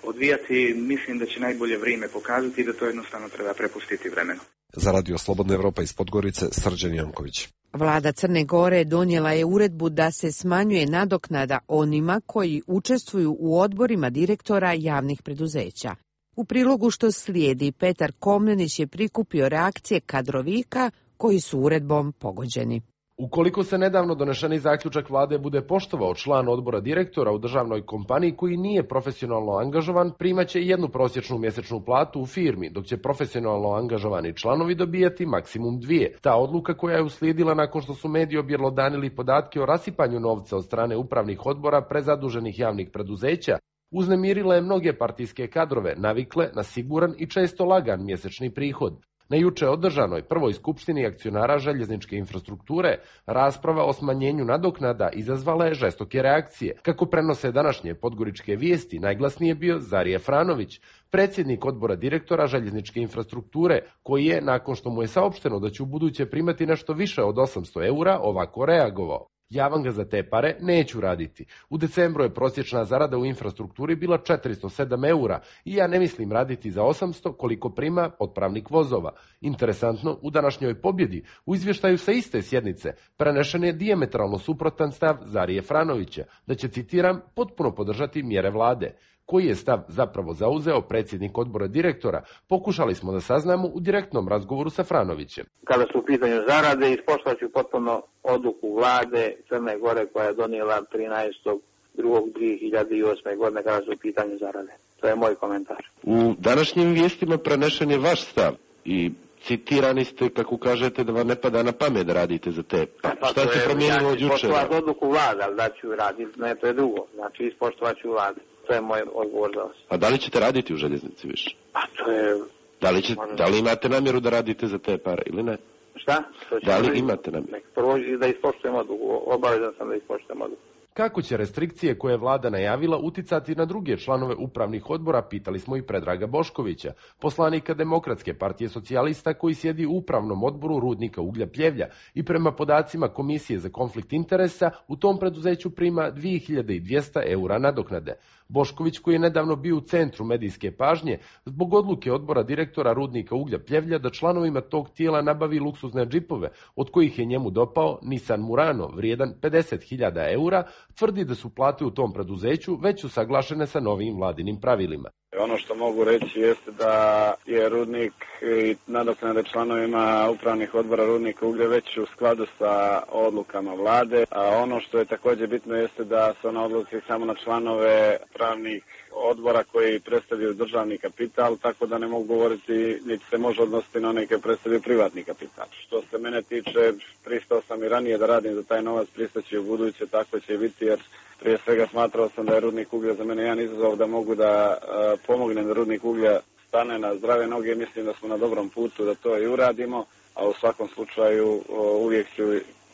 odvijati, mislim da će najbolje vrijeme pokazati i da to jednostavno treba prepustiti vremenu. Za Radio Slobodna Evropa iz Podgorice, Srđan Janković. Vlada Crne Gore donijela je uredbu da se smanjuje nadoknada onima koji učestvuju u odborima direktora javnih preduzeća. U prilogu što slijedi, Petar Komnenić je prikupio reakcije kadrovika koji su uredbom pogođeni. Ukoliko se nedavno donešeni zaključak vlade bude poštovao, član odbora direktora u državnoj kompaniji koji nije profesionalno angažovan primaće jednu prosječnu mjesečnu platu u firmi, dok će profesionalno angažovani članovi dobijati maksimum dvije. Ta odluka koja je uslijedila nakon što su mediji objelodanili podatke o rasipanju novca od strane upravnih odbora prezaduženih javnih preduzeća, uznemirila je mnoge partijske kadrove, navikle na siguran i često lagan mjesečni prihod. Na juče održanoj prvoj skupštini akcionara željezničke infrastrukture rasprava o smanjenju nadoknada izazvala je žestoke reakcije. Kako prenose današnje podgoričke vijesti, najglasniji je bio Zarije Franović, predsjednik odbora direktora željezničke infrastrukture, koji je, nakon što mu je saopšteno da će u buduće primati nešto više od osamsto eura, ovako reagovao. Ja vam ga za te pare neću raditi. U decembru je prosječna zarada u infrastrukturi bila četiristo sedam eura i ja ne mislim raditi za osamsto koliko prima otpravnik vozova. Interesantno, u današnjoj pobjedi u izvještaju sa iste sjednice prenešen je dijametralno suprotan stav Zarije Franovića, da će, citiram, potpuno podržati mjere vlade. Koji je stav zapravo zauzeo predsjednik odbora direktora, pokušali smo da saznamo u direktnom razgovoru sa Franovićem. Kada su u pitanju zarade, ispoštovat ću potpuno odluku vlade Crne Gore koja je donijela trinaestog drugog dvije hiljade osme. godine kada su u pitanju zarade. To je moj komentar. U današnjim vijestima prenešen je vaš stav i citirani ste, kako kažete, da vam ne pada na pamet da radite za te. Pa, pa šta se promijenilo od jučera? Ja ću ispoštovat odluku vlade, ali da ću raditi, ne, to je drugo. Znači, ispoštovat ću vlade. To je moj odgovor za vas. A da li ćete raditi u željeznici više? Pa to je... Da li, će, da li imate namjeru da radite za te pare ili ne? Šta? Da li imate namjeru? Prvo da ispoštujem odluku. Obavezan sam da ispoštujem odluku. Kako će restrikcije koje je vlada najavila uticati na druge članove upravnih odbora, pitali smo i Predraga Boškovića, poslanika Demokratske partije socijalista koji sjedi u upravnom odboru rudnika uglja Pljevlja i prema podacima Komisije za konflikt interesa u tom preduzeću prima dvije hiljade dvjesto eura nadoknade. Bošković, koji je nedavno bio u centru medijske pažnje zbog odluke odbora direktora rudnika uglja Pljevlja da članovima tog tijela nabavi luksuzne džipove, od kojih je njemu dopao Nissan Murano vrijedan pedeset hiljada eura, tvrdi da su plate u tom preduzeću već usaglašene sa novim vladinim pravilima. Ono što mogu reći jeste da je rudnik i nadoknade članovima upravnih odbora rudnika uglja već u skladu sa odlukama vlade, a ono što je također bitno jeste da se ona odluke samo na članove pravnih odbora koji predstavljaju državni kapital, tako da ne mogu govoriti, niti se može odnositi na one koji predstavljaju privatni kapital. Što se mene tiče, pristao sam i ranije da radim za taj novac, pristaći u buduće, tako će biti, jer prije svega smatrao sam da je rudnik uglja za mene jedan izazov, da mogu da uh, pomognem da rudnik uglja stane na zdrave noge. Mislim da smo na dobrom putu da to i uradimo, a u svakom slučaju uh, uvijek ću,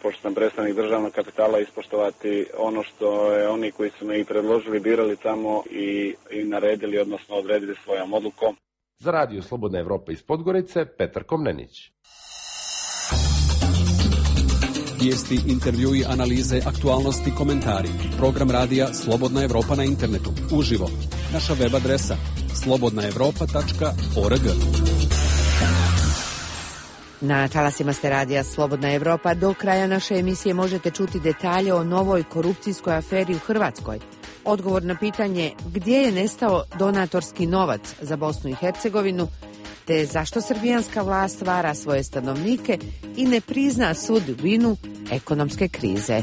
pošto sam predstavnik državnog kapitala, ispoštovati ono što je oni koji su me i predložili, birali tamo i, i naredili, odnosno odredili svojom odlukom. Za Radio Slobodna Evropa iz Podgorice, Petar Komnenić. Vijesti, intervjui, analize, aktualnosti, komentari. Program radija Slobodna Evropa na internetu. Uživo. Naša web adresa slobodna evropa tačka org. Na talasima ste radija Slobodna Evropa. Do kraja naše emisije možete čuti detalje o novoj korupcijskoj aferi u Hrvatskoj. Odgovor na pitanje gdje je nestao donatorski novac za Bosnu i Hercegovinu, te zašto srbijanska vlast vara svoje stanovnike i ne prizna sudbinu ekonomske krize.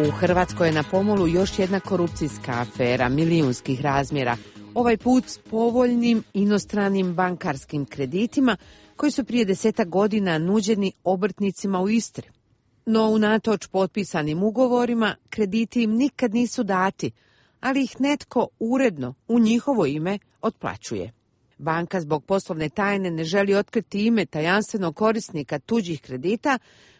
U Hrvatskoj je na pomolu još jedna korupcijska afera milijunskih razmjera, ovaj put s povoljnim inostranim bankarskim kreditima koji su prije desetak godina nuđeni obrtnicima u Istri. No unatoč potpisanim ugovorima krediti im nikad nisu dati, ali ih netko uredno u njihovo ime otplaćuje. Banka zbog poslovne tajne ne želi otkriti ime tajanstvenog korisnika tuđih kredita,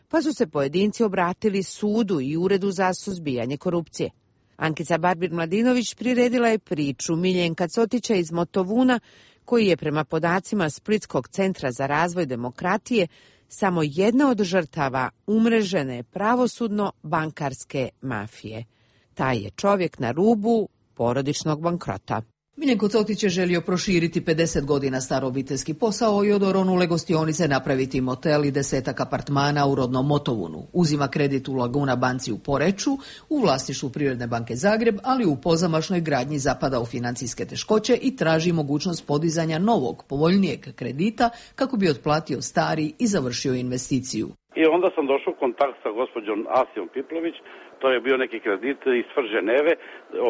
pa su se pojedinci obratili sudu i Uredu za suzbijanje korupcije. Ankica Barbir-Mladinović priredila je priču Miljenka Cotića iz Motovuna, koji je prema podacima Splitskog centra za razvoj demokratije samo jedna od žrtava umrežene pravosudno-bankarske mafije. Taj je čovjek na rubu porodičnog bankrota. Miljenko Cotić je želio proširiti pedeset godina star obiteljski posao i od oronule gostionice napraviti motel i desetak apartmana u rodnom Motovunu. Uzima kredit u Laguna banci u Poreču, u vlasništvu Privredne banke Zagreb, ali u pozamašnoj gradnji zapada u financijske teškoće i traži mogućnost podizanja novog, povoljnijeg kredita kako bi otplatio stari i završio investiciju. I onda sam došao u kontakt sa gospođom Asijom Piplović, to je bio neki kredit iz Ženeve,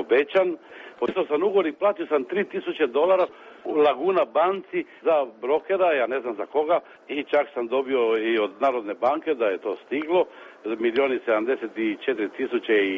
obećan. Potpisao sam ugovor i platio sam tri tisuće dolara u Laguna banci za brokera, ja ne znam za koga, i čak sam dobio i od Narodne banke da je to stiglo, milijon i sedamdeset četiri tisuće i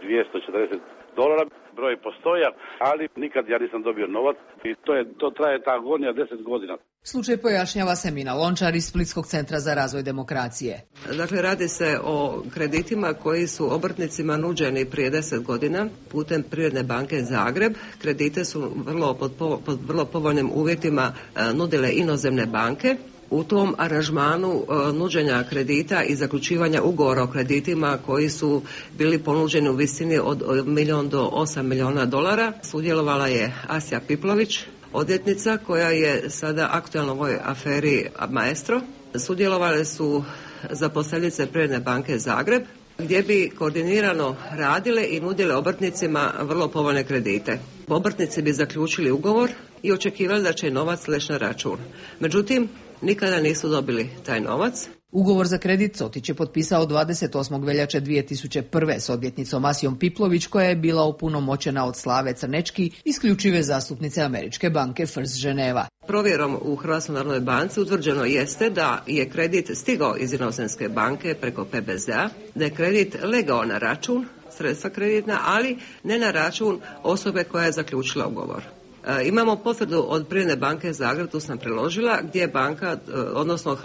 dvjesto četrdeset dolara. Broj postoja, ali nikad ja nisam dobio novac i to, je, to traje ta agonija deset godina. Slučaj pojašnjava Semina Lončar iz Splitskog centra za razvoj demokracije. Dakle, radi se o kreditima koji su obrtnicima nuđeni prije deset godina putem Privredne banke Zagreb. Kredite su vrlo pod, pod vrlo povoljnim uvjetima nudile inozemne banke. U tom aranžmanu e, nuđenja kredita i zaključivanja ugovora o kreditima koji su bili ponuđeni u visini od, od milijon do osam milijuna dolara sudjelovala je Asija Piplović, odvjetnica koja je sada aktualna u ovoj aferi Maestro. Sudjelovale su zaposlenice Privredne banke Zagreb, gdje bi koordinirano radile i nudile obrtnicima vrlo povoljne kredite. Obrtnici bi zaključili ugovor i očekivali da će novac leći na račun. Međutim, nikada nisu dobili taj novac. Ugovor za kredit Cotić je potpisao dvadeset osmog veljače dvije tisuće prve s odvjetnicom Asijom Piplović, koja je bila opunomoćena od Slave Crnečki, isključive zastupnice Američke banke First Ženeva. Provjerom u Hrvatskoj narodnoj banci utvrđeno jeste da je kredit stigao iz inozemske banke preko P B Z-a, da je kredit legao na račun, sredstva kreditna, ali ne na račun osobe koja je zaključila ugovor. E, imamo potvrdu od Privredne banke Zagreb, tu sam preložila, gdje je banka, odnosno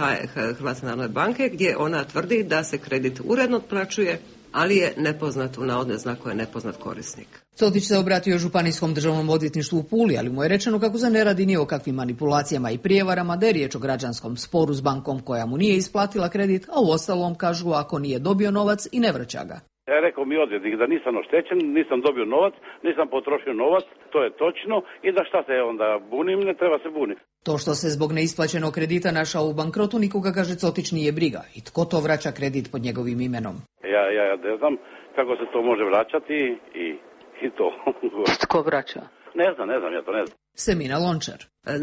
Hrvatske narodne banke, gdje ona tvrdi da se kredit uredno otplaćuje, ali je nepoznat, u navodne znakove nepoznat korisnik. Cotić se obratio Županijskom državnom odvjetništvu u Puli, ali mu je rečeno kako se ne radi ni o kakvim manipulacijama i prijevarama, da je riječ o građanskom sporu s bankom koja mu nije isplatila kredit, a u ostalom kažu ako nije dobio novac i ne vraća ga. Ja rekao mi odvjetnik da nisam oštećen, nisam dobio novac, nisam potrošio novac, to je točno, i da šta se onda bunim, ne treba se buniti. To što se zbog neisplaćenog kredita našao u bankrotu nikoga, kaže Cotić, nije briga. I tko to vraća kredit pod njegovim imenom? Ja, ja, ja ne znam kako se to može vraćati i, i to. Tko vraća? Ne znam, ne znam, ja to ne znam. Semina Lončar.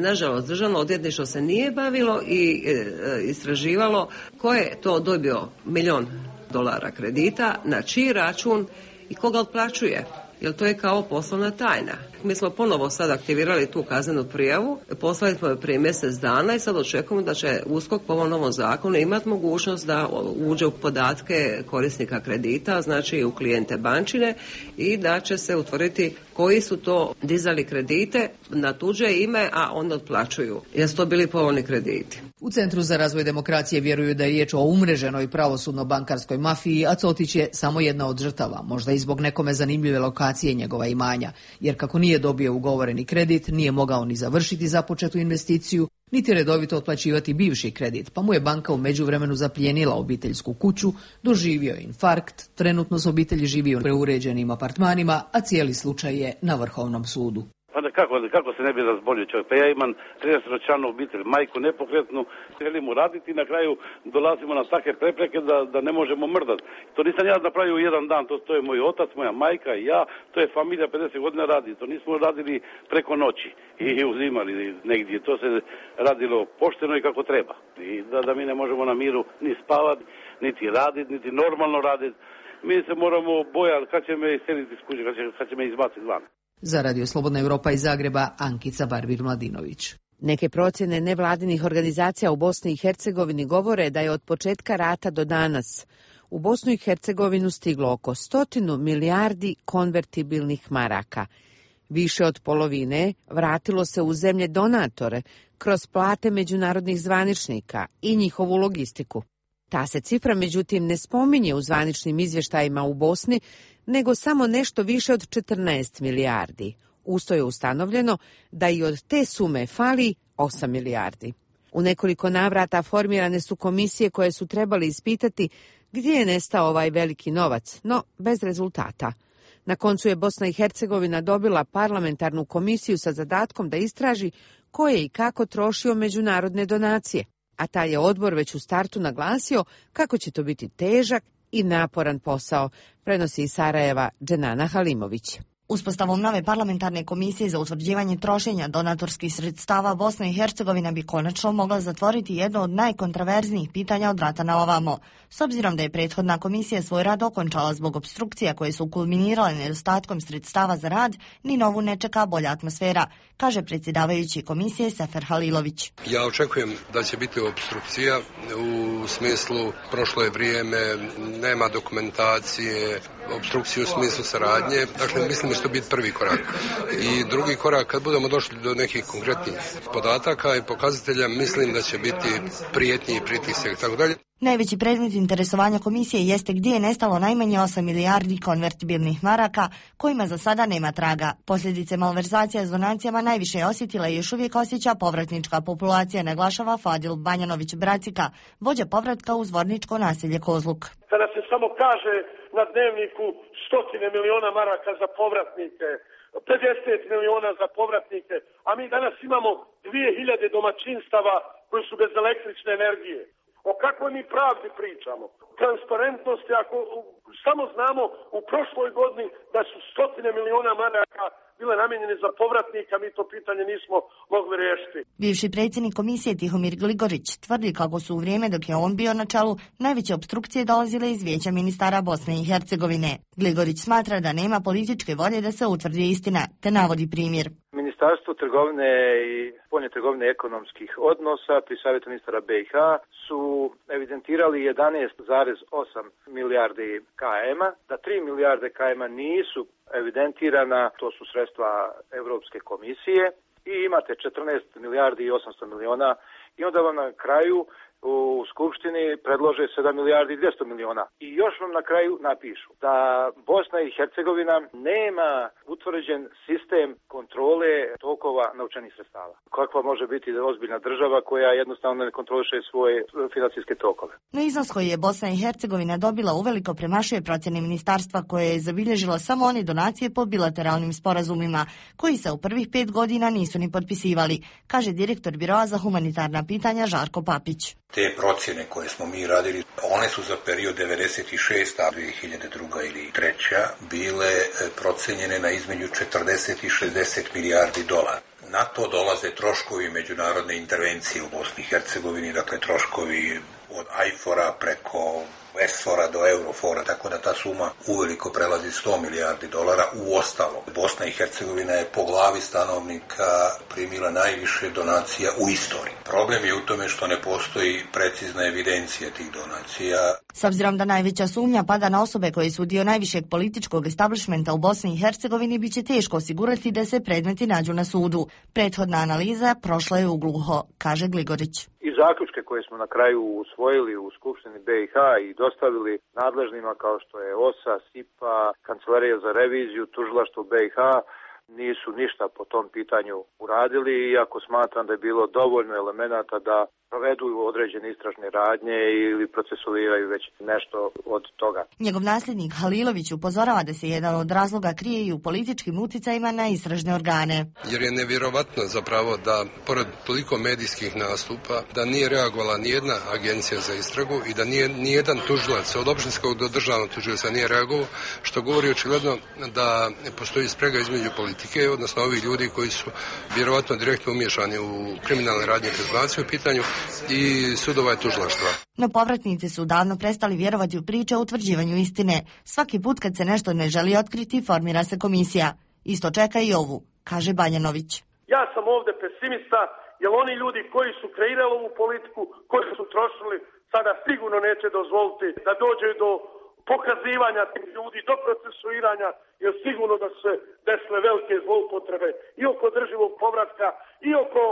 Nažalost, državno odvjetništvo se nije bavilo i e, istraživalo ko je to dobio milijon dolara kredita, na čiji račun i koga otplaćuje, jer to je kao poslovna tajna. Mi smo ponovo sad aktivirali tu kaznenu prijavu, poslali smo je prije mjesec dana i sad očekujemo da će USKOK po ovom novom zakonu imati mogućnost da uđe u podatke korisnika kredita, znači u klijente bančine, i da će se utvrditi koji su to dizali kredite na tuđe ime, a onda otplaćuju. Jer su to bili povoljni krediti. U Centru za razvoj demokracije vjeruju da je riječ o umreženoj pravosudno-bankarskoj mafiji, a Cotić je samo jedna od žrtava, možda i zbog nekome zanimljive lokacije njegova imanja, jer kako nije dobio ugovoreni kredit, nije mogao ni završiti započetu investiciju, niti redovito otplaćivati bivši kredit, pa mu je banka u međuvremenu zaplijenila obiteljsku kuću, doživio infarkt, trenutno s obitelji živi u preuređenim apartmanima, a cijeli slučaj je na Vrhovnom sudu. Pa da kako, kako se ne bi razbolio čovjek? Pa ja imam tridesetčlanu obitelj, majku nepokretnu, želimo raditi i na kraju dolazimo na takve prepreke da, da ne možemo mrdati. To nisam ja napravio u jedan dan, to, to je moj otac, moja majka i ja, to je familija pedeset godina radi, to nismo radili preko noći i uzimali negdje, to se radilo pošteno i kako treba. I da, da mi ne možemo na miru ni spavati, niti raditi, niti normalno raditi. mi se moramo bojati kad će me iseliti iz kuće, kad će, kad će me izbaciti van. Za Radio Slobodna Europa iz Zagreba, Ankica Barbir-Mladinović. Neke procjene nevladinih organizacija u Bosni i Hercegovini govore da je od početka rata do danas u Bosnu i Hercegovinu stiglo oko stotinu milijardi konvertibilnih maraka. Više od polovine vratilo se u zemlje donatore kroz plate međunarodnih zvaničnika i njihovu logistiku. Ta se cifra međutim ne spominje u zvaničnim izvještajima u Bosni, nego samo nešto više od četrnaest milijardi. Usto je ustanovljeno da i od te sume fali osam milijardi. U nekoliko navrata formirane su komisije koje su trebali ispitati gdje je nestao ovaj veliki novac, no bez rezultata. Na koncu je Bosna i Hercegovina dobila parlamentarnu komisiju sa zadatkom da istraži ko je i kako trošio međunarodne donacije, a taj je odbor već u startu naglasio kako će to biti težak i naporan posao, prenosi iz Sarajeva Dženana Halimović. Uspostavom nove parlamentarne komisije za utvrđivanje trošenja donatorskih sredstava Bosna i Hercegovina bi konačno mogla zatvoriti jedno od najkontraverznijih pitanja od rata na ovamo. S obzirom da je prethodna komisija svoj rad okončala zbog opstrukcija koje su kulminirale nedostatkom sredstava za rad, ni novu ne čeka bolja atmosfera, kaže predsjedavajući komisije Sefer Halilović. Ja očekujem da će biti opstrukcija u smislu prošlo je vrijeme, nema dokumentacije, opstrukciju u smislu saradnje. Dakle, mislim da će to biti prvi korak. I drugi korak, kad budemo došli do nekih konkretnih podataka i pokazatelja, mislim da će biti prijetnji i pritisak i tako dalje. Najveći predmet interesovanja komisije jeste gdje je nestalo najmanje osam milijardi konvertibilnih maraka, kojima za sada nema traga. Posljedice malverzacija s donacijama najviše je osjetila i još uvijek osjeća povratnička populacija, naglašava Fadil Banjanović-Bracika, vođa povratka u zvorničko naselje Kozluk. Kada se samo kaže na dnevniku stotine miliona maraka za povratnike, pedeset miliona za povratnike, a mi danas imamo dvije hiljade domaćinstava koji su bez električne energije. O kakvoj mi pravdi pričamo? Transparentnosti, ako samo znamo u prošloj godini da su stotine miliona maraka bile namijenjene za povratnika, mi to pitanje nismo mogli riješiti. Bivši predsjednik komisije Tihomir Gligorić tvrdi kako su u vrijeme dok je on bio na čelu najveće opstrukcije dolazile iz Vijeća ministara Bosne i Hercegovine. Gligorić smatra da nema političke volje da se utvrdi istina, te navodi primjer. Ministarstvo trgovine i spoljne trgovine ekonomskih odnosa pri Savjetu ministara B i H su evidentirali jedanaest zarez osam milijardi K M-a, da tri milijarde K M-a nisu evidentirana, to su sredstva Europske komisije, i imate četrnaest milijardi i osamsto miliona i onda vam na kraju u Skupštini predlože sedam milijardi i dvjesto miliona. I još vam na kraju napišu da Bosna i Hercegovina nema utvrđen sistem kontrole tokova novčanih sredstava. Kakva može biti ozbiljna država koja jednostavno ne kontroliše svoje financijske tokove? No iznos koji je Bosna i Hercegovina dobila uveliko premašuje procjene ministarstva koje je zabilježilo samo one donacije po bilateralnim sporazumima, koji se u prvih pet godina nisu ni potpisivali, kaže direktor Biroa za humanitarna pitanja Žarko Papić. Te procjene koje smo mi radili, one su za period devedeset šesta do dvije hiljade druga ili treća bile procenjene na između četrdeset i šezdeset milijardi dolara. Na to dolaze troškovi međunarodne intervencije u Bosni i Hercegovini, dakle troškovi od ajfora preko esfora do eurofora, tako da ta suma uveliko prelazi sto milijardi dolara u ostalom. Bosna i Hercegovina je po glavi stanovnika primila najviše donacija u istoriji. Problem je u tome što ne postoji precizna evidencija tih donacija. S obzirom da najveća sumnja pada na osobe koje su dio najvišeg političkog establishmenta u Bosni i Hercegovini, biće teško osigurati da se predmeti nađu na sudu. Prethodna analiza prošla je u gluho, kaže Gligorić. I zaključke koje smo na kraju usvojili u Skupštini B i H i dostavili nadležnima kao što je O S A, S I P A, Kancelarija za reviziju, Tužilaštvo B i H, nisu ništa po tom pitanju uradili, iako smatram da je bilo dovoljno elemenata da provedu određene istražne radnje ili procesuiraju već nešto od toga. Njegov nasljednik Halilović upozorava da se jedan od razloga krije i u političkim uticajima na istražne organe. Jer je nevjerovatno zapravo da, pored toliko medijskih nastupa, da nije reagovala nijedna agencija za istragu i da nije nijedan tužilac, od općinskog do državnog tužilca nije reagovao, što govori očigledno da postoji sprega između političara politike, odnosno ovih ljudi koji su vjerovatno direktno umiješani u kriminalne radnje kroz baciju u pitanju i sudova i tužilaštva. No povratnici su davno prestali vjerovati u priče o utvrđivanju istine. Svaki put kad se nešto ne želi otkriti, formira se komisija. Isto čeka i ovu, kaže Banjanović. Ja sam ovdje pesimista, jer oni ljudi koji su kreirali ovu politiku, koji su trošili, sada sigurno neće dozvoliti da dođe do pokazivanja tih ljudi, do procesuiranja, jer sigurno da se desile velike zloupotrebe i oko održivog povratka, i oko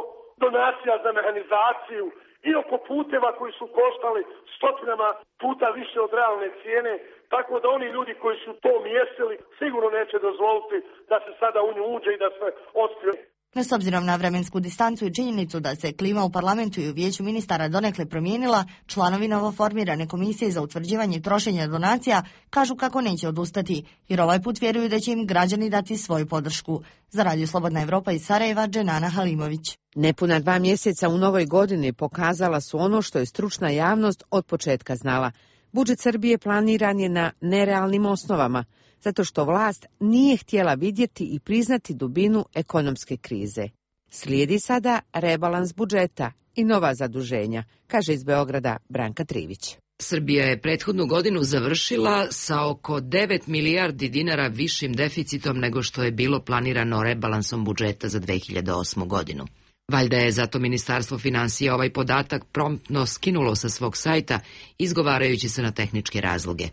donacija za mehanizaciju, i oko puteva koji su koštali stotinama puta više od realne cijene, tako da oni ljudi koji su to mjesili sigurno neće dozvoliti da se sada u nju uđe i da se otkrije. No, s obzirom na vremensku distancu i činjenicu da se klima u parlamentu i u vijeću ministara donekle promijenila, članovi novoformirane komisije za utvrđivanje trošenja donacija kažu kako neće odustati, jer ovaj put vjeruju da će im građani dati svoju podršku. Za Radio Slobodna Evropa iz Sarajeva, Dženana Halimović. Nepuna dva mjeseca u novoj godini pokazala su ono što je stručna javnost od početka znala. Budžet Srbije planiran je na nerealnim osnovama, zato što vlast nije htjela vidjeti i priznati dubinu ekonomske krize. Slijedi sada rebalans budžeta i nova zaduženja, kaže iz Beograda Branka Trivić. Srbija je prethodnu godinu završila sa oko devet milijardi dinara višim deficitom nego što je bilo planirano rebalansom budžeta za dve hiljade osmu godinu. Valjda je zato Ministarstvo finansija ovaj podatak promptno skinulo sa svog sajta, izgovarajući se na tehničke razloge.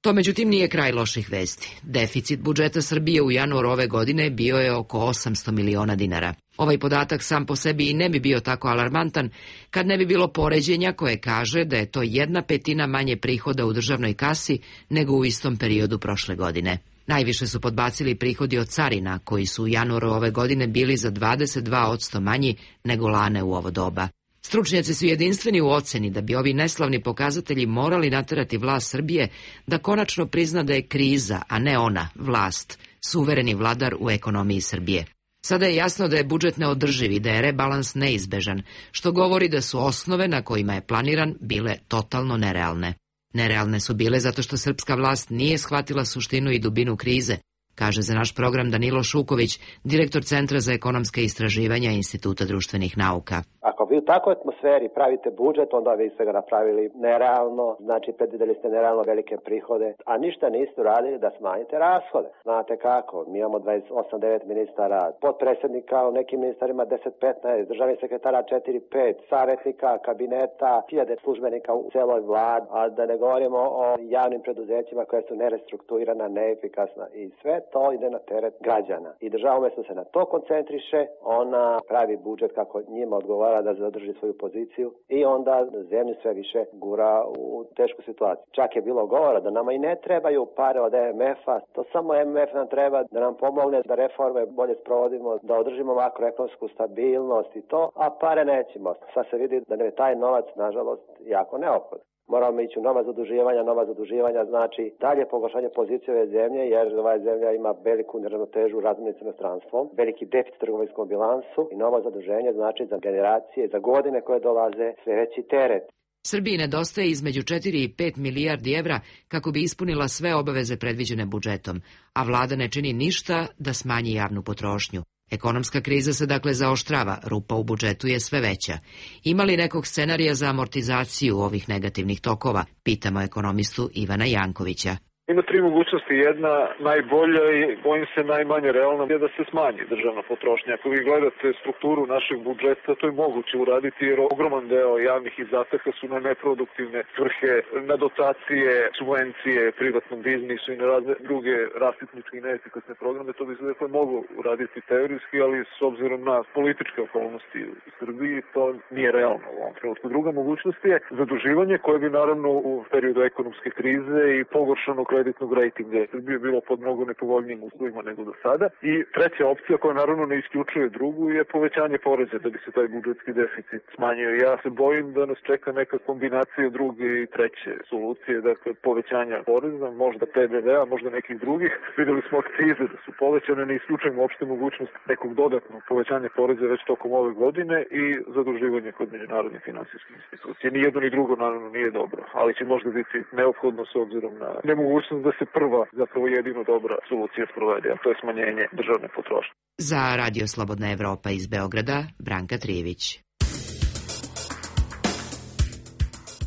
To međutim nije kraj loših vesti. Deficit budžeta Srbije u januaru ove godine bio je oko osamsto miliona dinara. Ovaj podatak sam po sebi i ne bi bio tako alarmantan kad ne bi bilo poređenja koje kaže da je to jedna petina manje prihoda u državnoj kasi nego u istom periodu prošle godine. Najviše su podbacili prihodi od carina, koji su u januaru ove godine bili za dvadeset dva posto manji nego lane u ovo doba. Stručnjaci su jedinstveni u oceni da bi ovi neslavni pokazatelji morali naterati vlast Srbije da konačno prizna da je kriza, a ne ona, vlast, suvereni vladar u ekonomiji Srbije. Sada je jasno da je budžet neodrživ i da je rebalans neizbežan, što govori da su osnove na kojima je planiran bile totalno nerealne. Nerealne su bile zato što srpska vlast nije shvatila suštinu i dubinu krize, kaže za naš program Danilo Šuković, direktor Centra za ekonomske istraživanja Instituta društvenih nauka. Ako vi u takvoj atmosferi pravite budžet, onda vi ste ga napravili nerealno, znači predvidjeli ste nerealno velike prihode, a ništa niste radili da smanjite rashode. Znate kako, mi imamo dvadeset osam devet ministara, potpredsjednika u nekim ministarima deset petnaest, državnih sekretara četiri pet, savjetnika, kabineta, hiljade službenika u celoj vladi, a da ne govorimo o javnim preduzećima koje su nerestrukturirana, neefikasna i sve to ide na teret građana. I država umjesto se na to koncentriše, ona pravi budžet kako njima odgovara da zadrži svoju poziciju i onda zemlju sve više gura u tešku situaciju. Čak je bilo govora da nama i ne trebaju pare od M M F-a, to samo M M F nam treba da nam pomogne da reforme bolje sprovodimo, da održimo makroekonomsku stabilnost i to, a pare nećemo. Sad se vidi da nam je taj novac, nažalost, jako neophodan. Moramo ići u nova zaduživanja, nova zaduživanja znači dalje pogoršanje pozicije ove zemlje, jer ova zemlja ima veliku neravnotežu u razmjeni s inostranstvom, veliki deficit trgovinskom bilansu i novo zaduženje znači za generacije, za godine koje dolaze sve veći teret. Srbiji nedostaje između četiri i pet milijardi evra kako bi ispunila sve obaveze predviđene budžetom, a vlada ne čini ništa da smanji javnu potrošnju. Ekonomska kriza se dakle zaoštrava, rupa u budžetu je sve veća. Ima li nekog scenarija za amortizaciju ovih negativnih tokova, pitamo ekonomistu Ivana Jankovića. Ima tri mogućnosti. Jedna najbolja i bojim se najmanje realna je da se smanji državna potrošnja. Ako vi gledate strukturu našeg budžeta, to je moguće uraditi jer ogroman deo javnih izdataka su na neproduktivne svrhe, na dotacije, subvencije privatnom biznisu i na razne druge rasipničke i neefikasne programe. To bi se dakle moglo uraditi teorijski, ali s obzirom na političke okolnosti u Srbiji to nije realno u ovom trenutku. Druga mogućnost je zaduživanje koje bi naravno u periodu ekonomske krize i pogoršanog kreditnog rejtinga Srbije bilo pod mnogo nepovoljnijim uslovima nego do sada. I treća opcija koja naravno ne isključuje drugu je povećanje poreza da bi se taj budžetski deficit smanjio. Ja se bojim da nas čeka neka kombinacija druge i treće solucije, dakle povećanja poreza, možda P D V-a, možda nekih drugih. Videli smo akcize da su povećane, ne isključujemo uopšte mogućnost nekog dodatnog povećanja poreza već tokom ove godine i zaduživanje kod međunarodnih finansijskih institucija. Ni jedno ni drugo naravno nije dobro, ali će možda biti neophodno s obzirom na nemogućnost mogućnost da se prva, zapravo jedino dobra solucija sprovede, a to je smanjenje državne potrošnje. Za Radio Slobodna Evropa iz Beograda, Branka Trijević.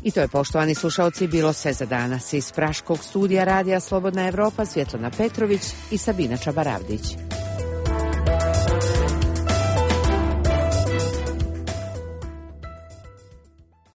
I to je, poštovani slušalci, bilo sve za danas. Iz Praškog studija Radija Slobodna Evropa Svjetlana Petrović i Sabina Čabaravdić.